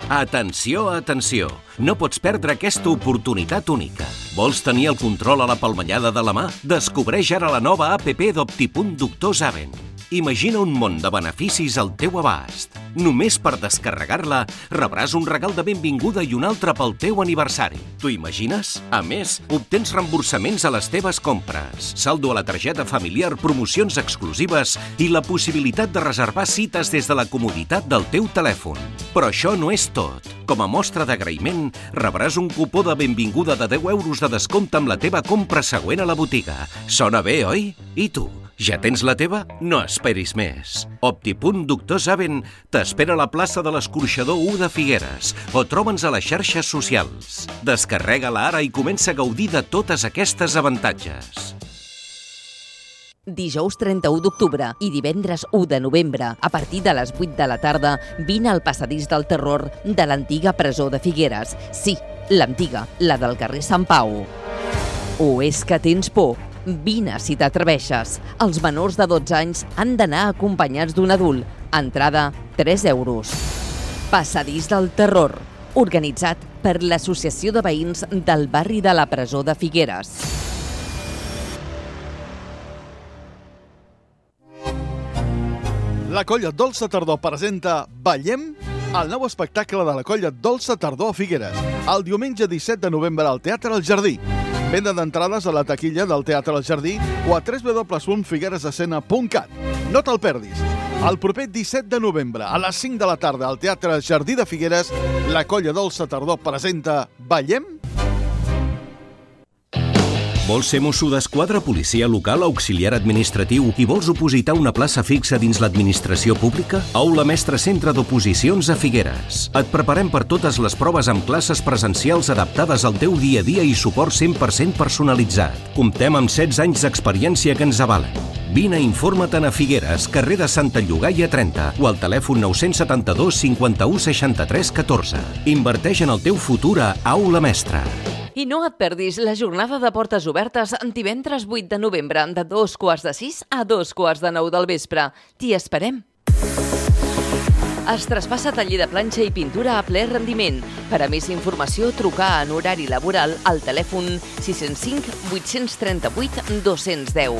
Atenció, atenció! No pots perdre aquesta oportunitat única. Vols tenir el control a la palmellada de la mà? Descobreix ara la nova app d'Optipunt Doctor Zaven. Imagina un món de beneficis al teu abast. Només per descarregar-la rebràs un regal de benvinguda i un altre pel teu aniversari. T'ho imagines? A més, obtens reemborsaments a les teves compres, saldo a la targeta familiar, promocions exclusives i la possibilitat de reservar cites des de la comoditat del teu telèfon. Però això no és tot. Com a mostra d'agraïment, rebràs un cupó de benvinguda de deu euros de descompte amb la teva compra següent a la botiga. Sona bé, oi? I tu? Ja tens la teva? No esperis més. Optipunt Doctor Zaven t'espera a la plaça de l'Escorxador u de Figueres o troba'ns a les xarxes socials. Descarrega-la ara i comença a gaudir de totes aquestes avantatges. Dijous trenta-u d'octubre i divendres u de novembre, a partir de les vuit de la tarda, vine al passadís del terror de l'antiga presó de Figueres. Sí, l'antiga, la del carrer Sant Pau. O és que tens por? Vine si t'atreveixes. Els menors de dotze anys han d'anar acompanyats d'un adult. Entrada, tres euros. Passadís del terror, organitzat per l'Associació de Veïns del barri de la Presó de Figueres. La colla Dolça Tardor presenta Ballem, el nou espectacle de la colla Dolça Tardor a Figueres, el diumenge disset de novembre al Teatre El Jardí. Venda d'entrades a la taquilla del Teatre El Jardí o a w w w punt figueresescena punt cat. No te'l perdis. El proper disset de novembre, a les cinc de la tarda, al Teatre El Jardí de Figueres, la colla Dolça Tardor presenta Ballem. Vols ser mosso d'esquadra, policia local, auxiliar administratiu i vols opositar una plaça fixa dins l'administració pública? Aula Mestre Centre d'Oposicions a Figueres. Et preparem per totes les proves amb classes presencials adaptades al teu dia a dia i suport cent per cent personalitzat. Comptem amb setze anys d'experiència que ens avalen. Vine i informa-te'n a Figueres, carrer de Santa Llogaia trenta o al telèfon nou set dos cinquanta-u seixanta-tres catorze. Inverteix en el teu futur a Aula Mestre. I no et perdis la jornada de portes obertes divendres vuit de novembre de dos quarts de sis a dos quarts de nou del vespre. T'hi esperem. Es traspassa taller de planxa i pintura a ple rendiment. Per a més informació, trucar en horari laboral al telèfon sis zero cinc vuit tres vuit dos zero zero.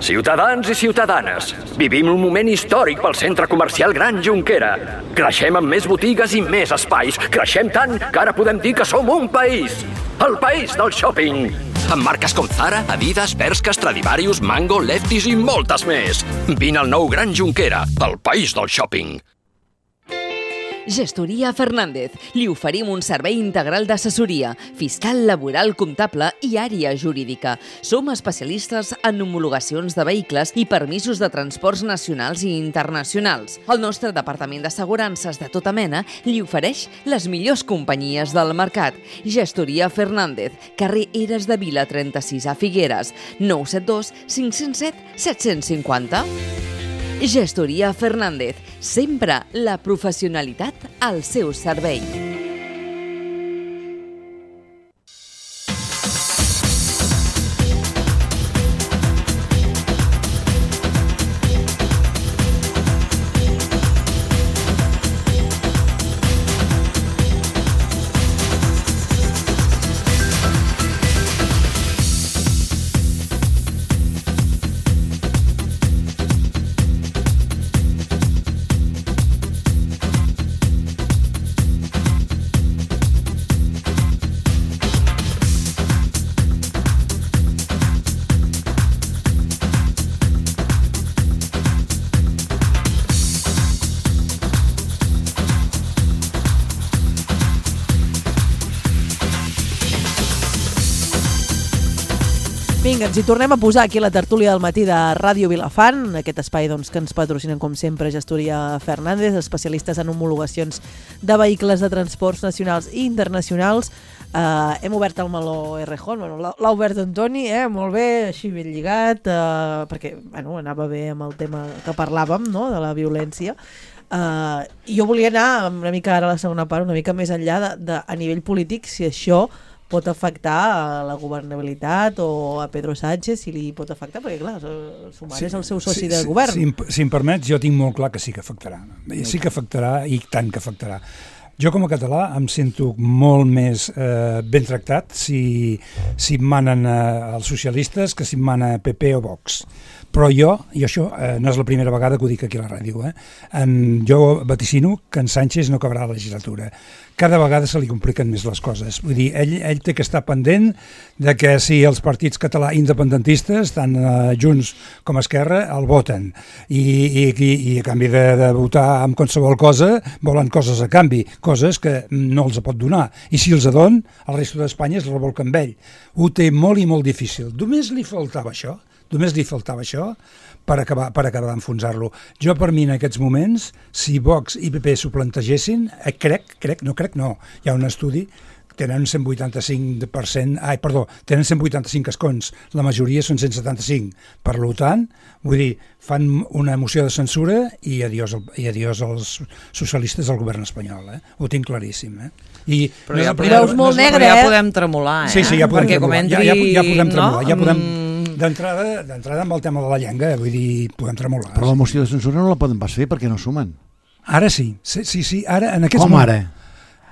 Ciutadans i ciutadanes, vivim un moment històric pel centre comercial Gran Jonquera. Creixem amb més botigues i més espais. Creixem tant que ara podem dir que som un país. El país del shopping. Amb marques com Zara, Adidas, Bershka, Stradivarius, Mango, Lefties i moltes més. Vine al nou Gran Jonquera, el país del shopping. Gestoria Fernández. Li oferim un servei integral d'assessoria, fiscal, laboral, comptable i àrea jurídica. Som especialistes en homologacions de vehicles i permisos de transports nacionals i internacionals. El nostre departament d'assegurances de tota mena li ofereix les millors companyies del mercat. Gestoria Fernández, carrer Eres de Vila trenta-sis a Figueres, nou set dos cinc zero set set cinc zero. Gestoria Fernández, sempre la professionalitat al seu servei. Vinga, ens hi tornem a posar aquí a la tertúlia del matí de Ràdio Vilafant, aquest espai doncs, que ens patrocinen com sempre Gestoria Fernández, especialistes en homologacions de vehicles de transports nacionals i internacionals. Uh, hem obert el meló Errejón, bueno, l'ha obert Antoni, eh? Molt bé, així ben lligat, uh, perquè bueno, anava bé amb el tema que parlàvem, no?, de la violència. Uh, jo volia anar una mica ara a la segona part, una mica més enllà de, de, a nivell polític, si això pot afectar a la governabilitat o a Pedro Sánchez, si li pot afectar, perquè clar, Sumar sí, és el seu soci sí, de govern. Si, si, si em permets, jo tinc molt clar que sí que afectarà. Sí que afectarà i tant que afectarà. Jo com a català em sento molt més eh, ben tractat si, si em manen eh, els socialistes que si em mana P P o Vox. Però jo, i això eh, no és la primera vegada que ho dic aquí a la ràdio, eh? en, jo vaticino que en Sánchez no acabarà la legislatura. Cada vegada se li compliquen més les coses. Vull dir, ell, ell té que estar pendent de que si els partits català independentistes, tant eh, Junts com Esquerra, el voten. I, i, i, i a canvi de, de votar amb qualsevol cosa, volen coses a canvi, coses que no els pot donar. I si els adon, el resto d'Espanya es revolca amb ell. Ho té molt i molt difícil. Només li faltava això. Només li faltava això per acabar, per acabar d'enfonsar-lo. Jo, per mi, en aquests moments, si Vox i P P s'ho plantegessin, eh, crec, crec, no crec, no, hi ha un estudi, tenen cent vuitanta-cinc per cent, ai, perdó, tenen cent vuitanta-cinc escons, la majoria són cent setanta-cinc. Per tant, vull dir, fan una moció de censura i adiós, i adiós als socialistes del govern espanyol, eh? Ho tinc claríssim, eh? I però no ja, primera, podem, no negre, ja podem tremolar, eh? Sí, sí, ja podem perquè tremolar, entri, ja, ja, ja podem tremolar, no? ja podem... D'entrada, d'entrada amb el tema de la llengua, vull dir, podem tremolar. Però la moció de censura no la poden pas fer perquè no sumen. Ara sí, sí, sí, sí ara en aquests Com moments, ara?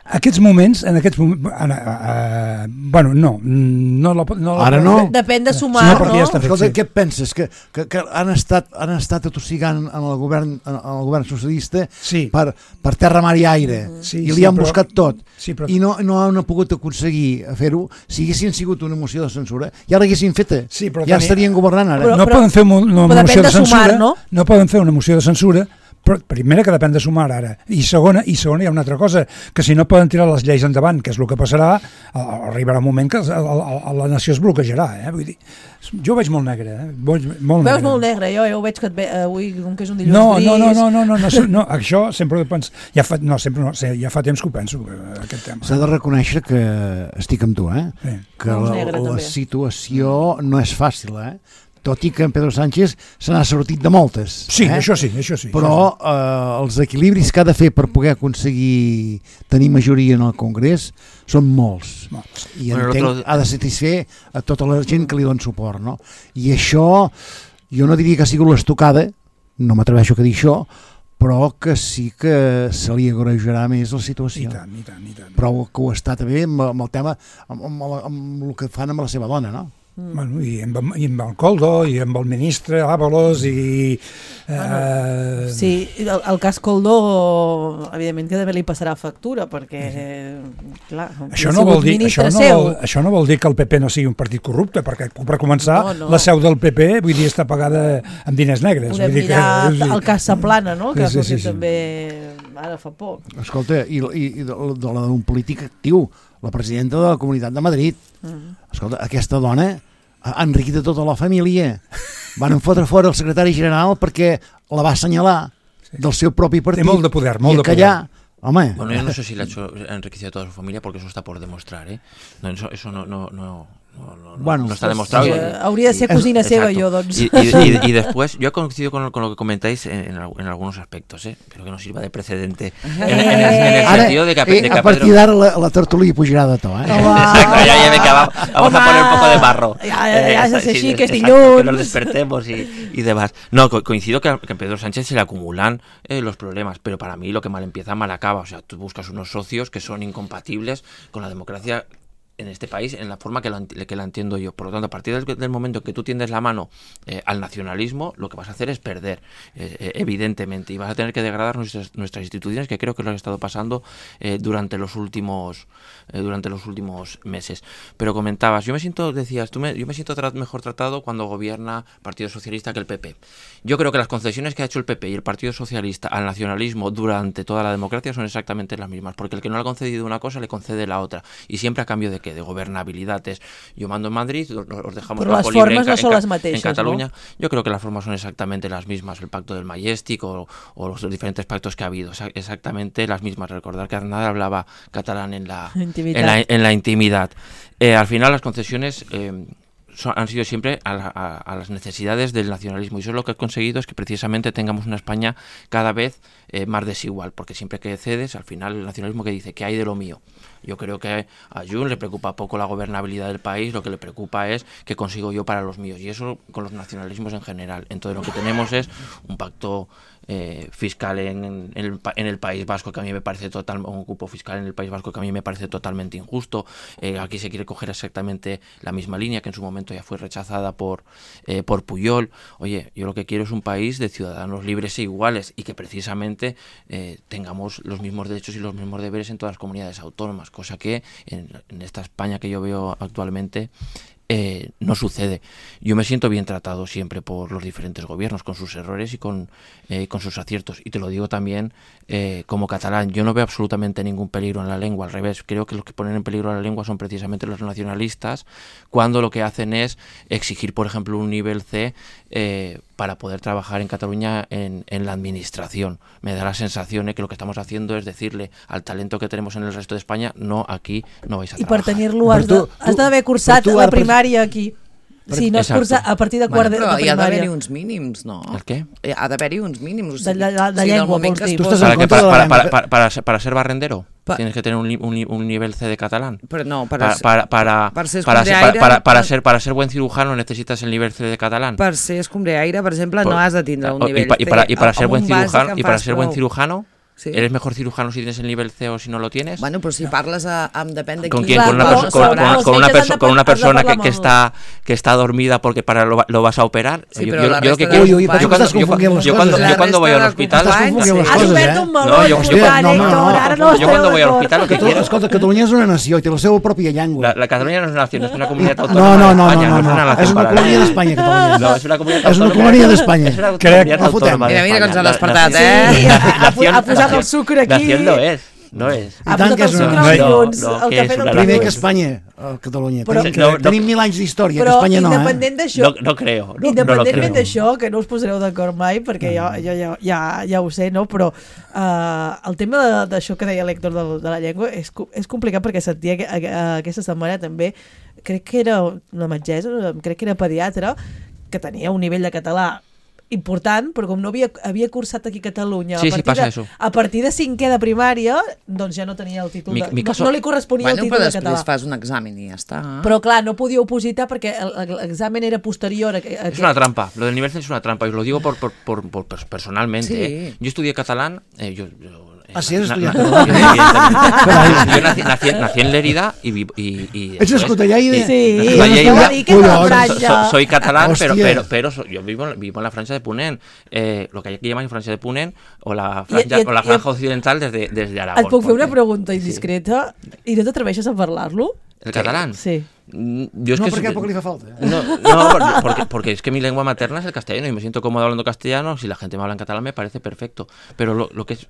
Aquests moments, en aquests moments, uh, uh, bueno, no, no la, no la, ara no. Depèn de sumar, sí, no? Ja està fet, Escolta, sí. Què penses? Que, que, que han estat han estat atossigant en el govern en el govern socialista sí. per, per terra, mar i aire sí, i li sí, han però, buscat tot sí, però, i no, no han pogut aconseguir fer-ho. Si haguessin sigut una moció de censura ja l'haguessin feta, sí, però, ja Dani, estarien governant ara. Però, no però, poden fer una, una moció de, de censura, sumar, no? no poden fer una moció de censura. Però primera que depèn de sumar ara, i segona, i segona hi ha una altra cosa, que si no poden tirar les lleis endavant, que és el que passarà, arribarà un moment que la, la, la nació es bloquejarà, eh? Vull dir, jo ho veig molt negre, eh? Molt, molt veus negre. molt negre, jo, jo ho veig que et ve, avui, com que és un dilluns no, gris... No, no, no, no, no, no, no, això sempre ho penso, ja fa, no, sempre no, ja fa temps que ho penso, aquest tema. S'ha de reconèixer que estic amb tu, eh? Sí. Que la, negre, la situació no és fàcil, eh? Tot i que en Pedro Sánchez se n'ha sortit de moltes. Sí, eh? això sí, això sí. Però això sí. Eh, els equilibris que ha de fer per poder aconseguir tenir majoria en el Congrés són molts. molts. I bueno, entenc, otro... ha de satisfer a tota la gent que li dona suport, no? I això, jo no diria que ha sigut l'estocada, no m'atreveixo a dir això, però que sí que se li agrejarà més la situació. I tant, i tant, i tant. Però que ho està també amb, amb el tema, amb, amb, amb, amb el que fan amb la seva dona, no? Bueno, i, amb, i amb el Coldo i amb el ministre Ábalos i eh... bueno, sí, el, el cas Coldo evidentment que també li passarà factura perquè clar, això no, vol dir, això, no vol, això no vol dir que el P P no sigui un partit corrupte, perquè per començar no, no. la seu del P P vull dir està pagada amb diners negres. Podem vull dir mirar que, el cas Saplana, no? Que sí, ha sí, sí, també ara fa poc. Escolta, i, i, i de, de la d'un polític actiu, la presidenta de la Comunitat de Madrid. Mm. Escolta, aquesta dona ha enriquit a tota la família. Van fotre fora el secretari general perquè la va assenyalar sí. del seu propi partit. Té molt de poder, molt i de poder. Home. Bueno, yo no sé si le ha hecho enriquecido a toda su familia porque eso está por demostrar, ¿eh? No, eso, eso no, no, no, no, no, bueno, no está demostrado. Sí, y, hauria de ser cocina seva, yo, doncs. Y, y, y, y después, yo he coincidido con, con lo que comentáis en, en, en algunos aspectos, ¿eh? Pero que no sirva de precedente. En, en, en, en el Ara, sentido de que, eh, de que a partir d'ara la, la tertúlia pujarà de to, eh? Exacto, ya, ya me acabamos. Vamos Home, a poner un poco de barro. Ya, ya, ya, eh, sí, sí, que es dilluns. Que nos despertemos y, y demás. No, co coincido que a, que a Pedro Sánchez se le acumulan eh, los problemas, pero para mí lo que mal empieza, mal acaba. O sea, tú buscas unos socios que son incompatibles con la democracia en este país, en la forma que, lo, que la entiendo yo. Por lo tanto, a partir del, del momento que tú tiendes la mano eh, al nacionalismo, lo que vas a hacer es perder, eh, evidentemente, y vas a tener que degradar nuestras, nuestras instituciones, que creo que lo han estado pasando eh, durante los últimos eh, durante los últimos meses. Pero comentabas, yo me siento, decías, tú me, yo me siento tra mejor tratado cuando gobierna Partido Socialista que el P P. Yo creo que las concesiones que ha hecho el P P y el Partido Socialista al nacionalismo durante toda la democracia son exactamente las mismas, porque el que no le ha concedido una cosa le concede la otra, y siempre a cambio de qué. que de gobernabilidad es yo mando en Madrid, os, os dejamos Pero campo las libre formas en, no son en, las mateixes, en Cataluña. ¿no? Yo creo que las formas son exactamente las mismas, el pacto del Majestic o, o los diferentes pactos que ha habido, exactamente las mismas. Recordar que Aznar hablaba catalán en la intimidad. En la, en la intimidad. Eh, al final las concesiones eh, son, han sido siempre a, la, a, a las necesidades del nacionalismo, y eso lo que ha conseguido es que precisamente tengamos una España cada vez eh, más desigual, porque siempre que cedes, al final el nacionalismo que dice, ¿qué hay de lo mío? Yo creo que a Junts le preocupa poco la gobernabilidad del país, lo que le preocupa es qué consigo yo para los míos, y eso con los nacionalismos en general. Entonces lo que tenemos es un pacto eh, fiscal en, en, el, en el País Vasco que a mí me parece total, un cupo fiscal en el País Vasco que a mí me parece totalmente injusto. Eh, aquí se quiere coger exactamente la misma línea que en su momento ya fue rechazada por, eh, por Pujol. Oye, yo lo que quiero es un país de ciudadanos libres e iguales, y que precisamente eh, tengamos los mismos derechos y los mismos deberes en todas las comunidades autónomas, cosa que en, en esta España que yo veo actualmente eh, no sucede. Yo me siento bien tratado siempre por los diferentes gobiernos, con sus errores y con, eh, con sus aciertos, y te lo digo también eh, como catalán. Yo no veo absolutamente ningún peligro en la lengua, al revés, creo que los que ponen en peligro la lengua son precisamente los nacionalistas, cuando lo que hacen es exigir, por ejemplo, un nivel C eh, para poder trabajar en Cataluña en, en la administración. Me da la sensación de que lo que estamos haciendo es decirle al talento que tenemos en el resto de España, no, aquí no vais a I trabajar. per tenir-lo has de- has d'haver cursat la primària aquí. Si no es Exacto. cursa a partir de quart Bueno, de, però de hi ha d'haver-hi primària. uns mínims, no? ¿El qué? Hi ha d'haver-hi uns mínims. O De, sigui, de, de, de o sigui, del llengua, moment vols que dir. es- ¿Para, qué? para, para, para, para, para, ser, para ser barrendero? Pa- Tienes que tener un, li- un, li- un nivel C de catalán. Però no, per, Para, para, para, per ser para, ser, escombriaire, para, para, para per- ser, para ser buen cirujano necesitas el nivel C de catalán. per ser escombriaire, per exemple, Por- no has de tindre un o- nivell y, pa- y para, y para C. ser Amb buen un bàsic cirujano, en y para fas ser buen prou. cirujano, Sí. ¿eres mejor cirujano si tienes el nivel C o si no lo tienes? Bueno, però si parles a, amb depèn de ¿Con qui... quién? ¿Con una, Claro, perso- con, però- con- però els con una, metges perso- han de con una par- has de persona parlar que, que amb el- está que está dormida porque para lo, lo vas a operar? Sí, yo, però yo- la yo lo que resta quiero- de yo companys- cuando, Estàs yo, confonent les yo coses, cuando, eh? yo cuando voy al La hospital, resta de Estàs companys, confonent les sí. Has coses, obert eh? un meló No, jo- jo- important, no, no, Héctor, no. ara no yo esteu cuando voy al d'acord. hospital lo que Que tu, quiero... escolta, Catalunya és una nació i té la seva pròpia llengua. La, la Cataluña no es una nación, es una comunidad No, autónoma no, de no, España, no, es no, una no. nación És una paralela. colònia d'Espanya, Catalunya. No, es una comunidad És una autónoma. colònia d'Espanya. Es una Crec, comunidad no fotem. autónoma de Mira, mira que ens ha España. despertat, La- eh? Sí, ha- ha- nación- ha posat el nación- sucre aquí. Nación lo es, no es. Ha I tant posat que el és sucre una- als no, llums, no, el que cafè és del una Primer dilluns. que Espanya, a Catalunya. Però- Tenim, No, no. tenim mil anys d'història, que Però Espanya no, eh? independent d'això, No, no creo, no, no lo independentment creo. d'això, que no us posareu d'acord mai, perquè jo, jo ja, ja, ja ho sé, no? Però uh, el tema de- d'això que deia l'Héctor de, de la llengua és, co- és complicat, perquè sentia que, a, aquesta setmana també, crec que era una metgessa, crec que era pediatra, que tenia un nivell de català important, però com no havia, havia cursat aquí a Catalunya Sí, a sí, partir, passa de, eso. a partir de cinquè de primària, doncs ja no tenia el títol Mi- de, mi caso- no, no li corresponia Bueno, el però títol de després català. fas un examen i ja està. Però clar, no podia opositar perquè el- l'examen era posterior a, a Es una trampa, lo del nivel C es una trampa, y os lo digo por, por, por, por pers- personalmente. Sí. ¿eh? Yo estudié catalán, eh, yo, yo- eh, Ah, sí, has na- estudiat na- catalán. yo, evidentemente. Yo nací, nací, nací en Lérida y... vi- y, y Ets después- escotellaire? y- Sí, escotellaire, ja ho va dir que és de la Collons. so- franja. so- soy catalán, pero, Hostia. pero, pero so- yo vivo, vivo en la franja de Ponent, eh, lo que hay que llamar Francia de Ponent, o la I- franja, i- o la i- franja occidental desde, desde Aragón. Et puc fer una porque- pregunta indiscreta i no t'atreveixes a parlar-lo? ¿El catalán? Sí. Mm, Yo es No, que perquè soy- poc li fa falta. No, no porque, porque es que mi lengua materna es el castellano y me siento cómodo hablando castellano. Si la gente me habla en catalán me parece perfecto. Pero lo, lo que es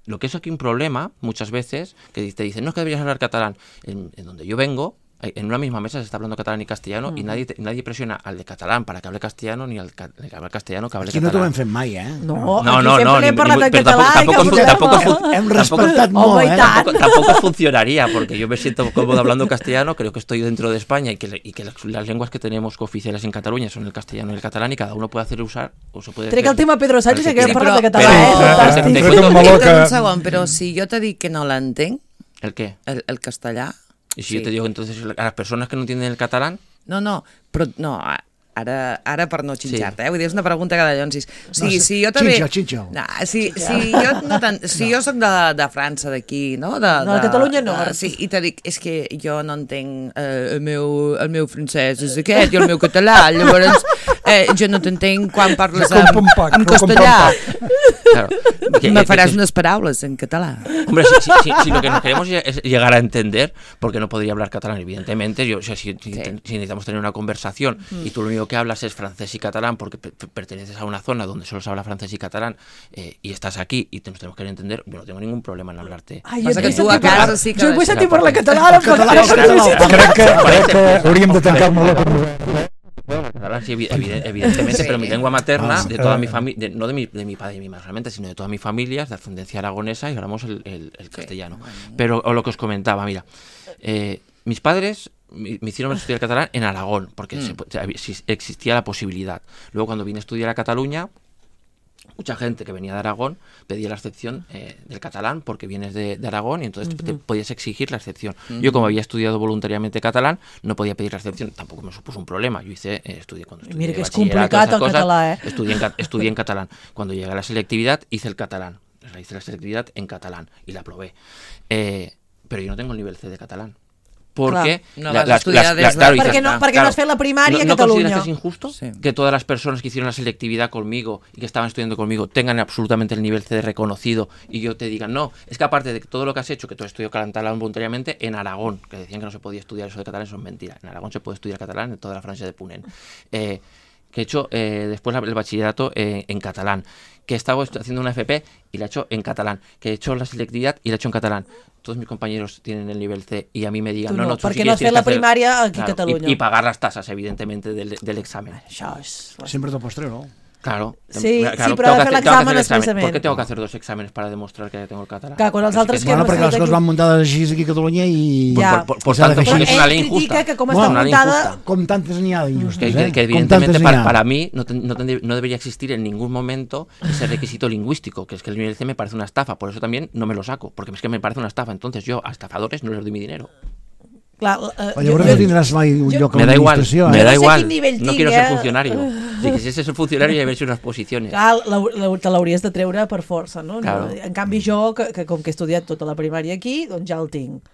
lo que es aquí un problema, muchas veces, que te dicen, no es que deberías hablar catalán. En, en donde yo vengo, en una misma mesa se está hablando catalán y castellano y nadie te- nadie presiona al de catalán para que hable castellano ni al ca- que hable castellano que hable Aquí no t'ho catalán. hem fet mai, eh? No, No, aquí no, sempre no, n'hem ni- parlat ni- en pero català tampoco- i cap tampoco- problema. tampoco fu- Hem tampoco- respectat Home, molt, i eh? tant. Tampoco, tampoco funcionaría, porque yo me siento cómodo hablando castellano, creo que estoy dentro de España y que, le- y que las, las lenguas que tenemos cooficiales en Cataluña son el castellano y el catalán y cada uno puede hacer usar o se puede Trec hacer- el tema Pedro Sánchez el i que hem quiera. parlat de però- català, eh? però- Fantàstic. Te Trec cuento- un meló Espera que... un segon, però si jo te dic que no l'entenc, ¿El qué? el, el castellà... Y si sí. yo te digo entonces a las personas que no entienden el catalán, No, no, però no, a- ara, ara per no xinxar-te, eh? Vull dir, és una pregunta que de llonsis. O sigui, No, si jo també... xinxa, xinxa. No, si, si jo, no tant, si jo soc de, de França, d'aquí, no? De, No, de Catalunya no. De, sí, i te dic, és que jo no entenc eh, el, meu, el meu francès és aquest i el meu català, llavors eh, jo no t'entenc quan parles Com en, un pac, en com un castellà. Claro. Que- Me que- faràs que- unas palabras en catalán. Hombre, si, si, si, si lo que nos queremos es llegar a entender, porque no podría hablar catalán, evidentemente. Yo, o sea, si, si, Sí. si necesitamos tener una conversación y tú lo único que hablas es francés y catalán porque pe- pe- perteneces a una zona donde solo se habla francés y catalán eh, y estás aquí y te, nos tenemos que entender, yo no tengo ningún problema en hablarte. Ai, Passa que vull tu a sentir casa parlar- sí que Jo vull deixarà sentir parlar parlar. català, però Català, no sé català. si- Crec que, crec que hauríem de tancar molt la conversa. Bueno, catalán sí, evi- evi- evidentemente, Sí. pero mi lengua materna, Ah, de toda eh. mi familia, no de mi, de mi padre y mi madre realmente, sino de toda mi familia, es de ascendencia aragonesa y hablamos el, el- el castellano. Pero o lo que os comentaba, mira, eh, mis padres me me hicieron estudiar catalán en Aragón, porque se- se- existía la posibilidad. Luego cuando vine a estudiar a Cataluña, mucha gente que venía de Aragón pedía la excepción eh, del catalán porque vienes de, de Aragón y entonces te podías exigir la excepción. Yo, como había estudiado voluntariamente catalán, no podía pedir la excepción, tampoco me supuso un problema. Yo hice, eh, estudié cuando estudié Mira que és bachillerato, complicat esas el cosas, català, eh? Estudié en, ca- estudié en catalán. Cuando llegué a la selectividad, hice el catalán. O sea, hice la selectividad en catalán y la aprobé. Eh, pero yo no tengo el nivel C de catalán. Porque Clar, no vas estudiar des de- claro, Perquè dices, no- ah, perquè no claro, has fet la primària a ¿no, ¿no Catalunya? consideras que es injusto Sí. que todas las personas que hicieron la selectividad conmigo y que estaban estudiando conmigo tengan absolutamente el nivel C de reconocido y yo te diga, no, es que aparte de todo lo que has hecho, que tú has estudiado catalán voluntariamente en Aragón, que decían que no se podía estudiar eso de catalán, eso es mentira. En Aragón se puede estudiar catalán en toda la Francia de Punen. Eh, que he hecho eh, después la- el bachillerato eh, en catalán, que he estado estu- haciendo una F P y la he hecho en catalán, que he hecho la selectividad y la he hecho en catalán. Todos mis compañeros tienen el nivel C y a mí me digan, Tu no, no, no, tú perquè sí no quieres has fet tienes la que hacer- primària aquí a Claro, Catalunya. Y, y pagar las tasas, evidentemente, del, del examen. Això és... Sempre te'l pots treure, no? Claro. Sí, claro, sí, tengo però que ha de fer hacer- tengo que hacer l'examen el examen. expressament. ¿Por qué tengo que hacer dos exámenes para demostrar que tengo el catalán? Clar, quan els Es altres que que no- no Bueno, perquè les estan coses aquí- van muntades així aquí a Catalunya i... Ja. Por, por, por I s'ha de tanto, fer porque així. es una Ell ley critica injusta. que com Es està una ley muntada... injusta. Com tantes n'hi ha d'injustes, Que, eh? que, que Com evidentemente tantes n'hi para, ha. para mí no, ten- no, tendría- no debería existir en ningún momento ese requisito lingüístico, que es que el nivel C me parece una estafa, por eso también no me lo saco, porque es que me parece una estafa, entonces yo a estafadores no les doy mi dinero. Clar, eh, Però llavors no tindràs mai un jo- lloc a Me da igual, l'administració, me eh? no da sé igual, quin nivell no tinc, quiero eh? ser funcionario. Si quisiese ser funcionario ya haber hecho unas posiciones. Clar, la, la, te l'hauries de treure per força, no? Claro. En canvi jo, que, que com que he estudiat tota la primària aquí, doncs ja el tinc.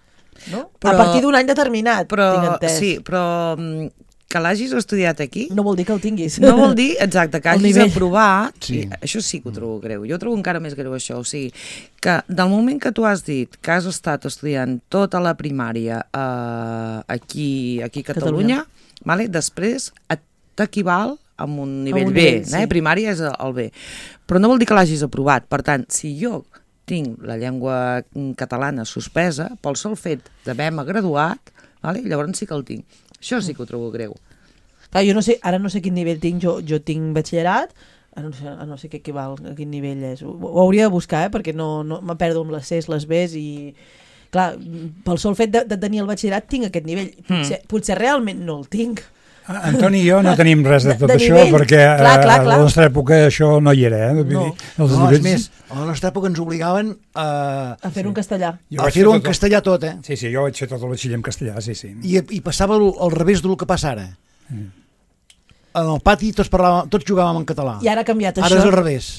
No? Però- a partir d'un any determinat, Però, tinc entès. sí, però mm, que l'hagis estudiat aquí No vol dir que el tinguis. no vol dir, exacte, que El hagis nivell. aprovat, Sí. i això sí que ho trobo greu, jo ho trobo encara més greu això, o sigui, que del moment que tu has dit que has estat estudiant tota la primària eh, aquí, aquí a Catalunya, vale? Després et- t'equival amb un nivell un B, nivell, sí. eh? Primària és el B, però no vol dir que l'hagis aprovat, per tant, si jo tinc la llengua mm, catalana suspesa pel sol fet d'haver-me graduat, vale? Llavors sí que el tinc. Això sí que ho trobo greu. Clar, jo no sé, ara no sé quin nivell tinc, jo, jo tinc batxillerat, ara no sé, ara no sé què equival, a quin nivell és. Ho, ho hauria de buscar, eh? Perquè no, no me perdo amb les Cs, les Bs i... Clar, pel sol fet de, de tenir el batxillerat tinc aquest nivell. Potser, mm. potser realment no el tinc. Antoni i jo no tenim res de tot De- de això nivell. perquè Clar, clar, a clar. la nostra època això no hi era. Eh? Vull No. dir, els No, és nivells- més, a la nostra època ens obligaven a, A fer-ho en castellà. Jo a vaig fer-ho fer en tot el- castellà tot, eh? Sí, sí, jo vaig fer tot el batxiller en castellà, sí, sí. I, i passava al, al revés del que passa ara. Mm. En el pati tots, parlàvem, tots jugàvem en català. I ara ha canviat Ara això. és al revés.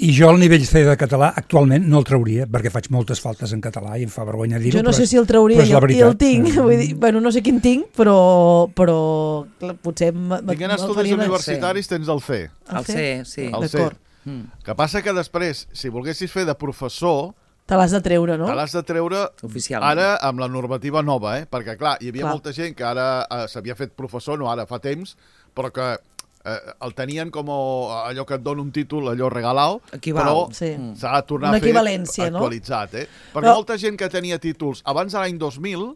I jo el nivell C de català actualment no el trauria perquè faig moltes faltes en català i em fa vergonya dir-ho. Jo no però sé és- si el trauria però és i la el, i el veritat. tinc. Eh, Vull dir, bueno, no sé quin tinc, però, però clar, potser... m- m- Tinguent me'l estudis faria més- universitaris tens el C. El C, sí. El C. D'acord. Que passa que després, si volguessis fer de professor, Te l'has de treure, no? te l'has de treure Oficialment. ara amb la normativa nova, eh? Perquè, clar, hi havia Clar. molta gent que ara eh, s'havia fet professor, no ara, fa temps, però que eh, el tenien com allò que et dona un títol, allò regalau, Equival, però sí. s'ha de tornar Una a fer equivalència, no? actualitzat, eh? Perquè Però- molta gent que tenia títols abans de l'any dos mil,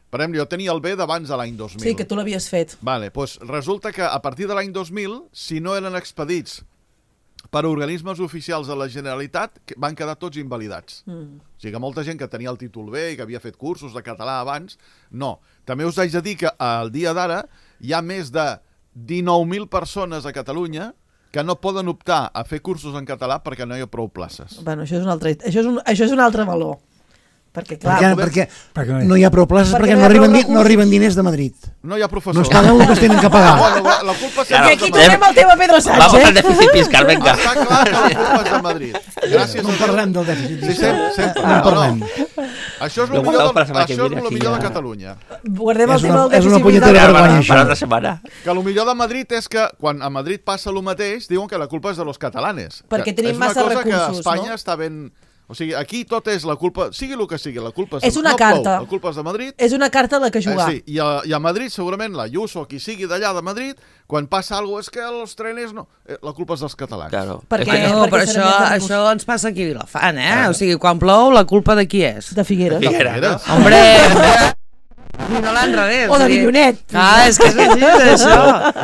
per exemple, jo tenia el B d'abans de l'any dos mil. Sí, que tu l'havies fet. Vale, doncs resulta que a partir de l'any dos mil, si no eren expedits per organismes oficials de la Generalitat, que van quedar tots invalidats. Mm. O sigui que molta gent que tenia el títol B i que havia fet cursos de català abans, no. També us haig de dir que al dia d'ara hi ha més de dinou mil persones a Catalunya que no poden optar a fer cursos en català perquè no hi ha prou places. Bueno, això és un altre, això és un, això és un altre valor. Perquè, clar, Perquè, poder- perquè, perquè no hi ha prou places Perquè perquè, no hi no, ha arriben, prou di- no recursos. arriben diners de Madrid. No hi ha No professors. es paguen el que es tenen que pagar. Bueno, la, la culpa I sempre aquí és de tornem Madrid. al tema Pedro Sánchez. Vamos al déficit fiscal, venga. Està clar que la culpa és de Madrid. Gràcies No en a Déu. parlem del dèficit Sí, fiscal. sempre, sempre. No en No, no. parlem. Això és el millor, de, això és el millor de Catalunya. Guardem el tema del dèficit. És una punyetera vergonya, això. Per altra setmana. Que el millor de Madrid és que quan a Madrid passa el mateix, diuen que la culpa és de los catalanes. Perquè tenim massa recursos, no? És una cosa que Espanya està ben... O sigui, aquí tot és la culpa, sigui el que sigui, la culpa és, és una no carta. Plou, la culpa és de Madrid. És una carta a la que jugar. Eh, sí, i a, i a Madrid segurament la Ayuso o qui sigui d'allà de Madrid, quan passa alguna cosa és que els trenes no, eh, la culpa és dels catalans. Claro. Perquè, no, perquè però això, això ens passa aquí a Vilafant, eh? Ah. O sigui, quan plou, la culpa de qui és? De Figueres. De Figueres. Hombre, ni no l'enrevés. O de Villonet. Ah, es que es així, això.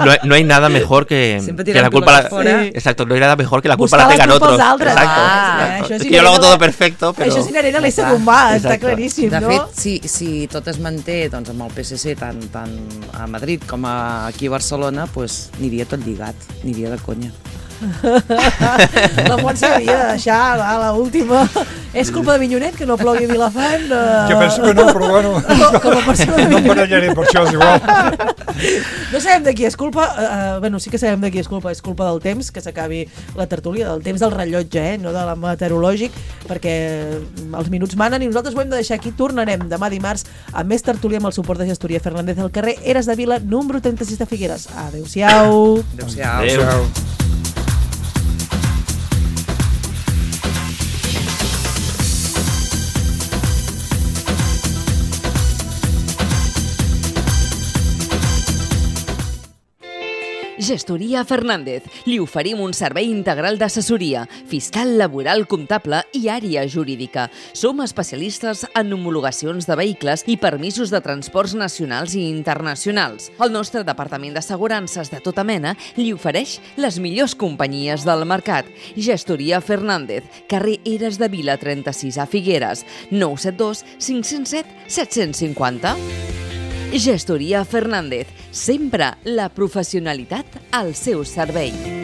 No, no hay nada mejor que, que la culpa... La, exacto, no hay nada mejor que la culpa buscar la tengan la culpa otros. Als altres. Exacto. Ah, exacto. Es que yo lo hago todo perfecto, pero... Això és inherent a l'ésser humà, està claríssim, de no? De fet, si, si tot es manté doncs, amb el P S C tant, tant a Madrid com a, aquí a Barcelona, pues, aniria tot lligat, aniria de conya. La Montse havia de deixar a l'última. És culpa de Vinyonet que no plogui a Vilafant? Uh... Jo penso que no, però bueno, com, com a persona de no em barallaré per això, és igual. No sabem de qui és culpa, uh, bueno, sí que sabem de qui és culpa, és culpa del temps, que s'acabi la tertúlia, del temps del rellotge, eh, no de la meteorològic, perquè els minuts manen i nosaltres ho hem de deixar aquí. Tornarem demà dimarts amb més tertúlia amb el suport de Gestoria Fernández al carrer Eres de Vila, número trenta-sis de Figueres. Adéu-siau. Adéu-siau. Adéu. Gestoria Fernández. Li oferim un servei integral d'assessoria, fiscal, laboral, comptable i àrea jurídica. Som especialistes en homologacions de vehicles i permisos de transports nacionals i internacionals. El nostre departament d'assegurances de tota mena li ofereix les millors companyies del mercat. Gestoria Fernández, carrer Eres de Vila trenta-sis a Figueres, nou set dos cinc zero set set cinc zero. Gestoria Fernández, sempre la professionalitat al seu servei.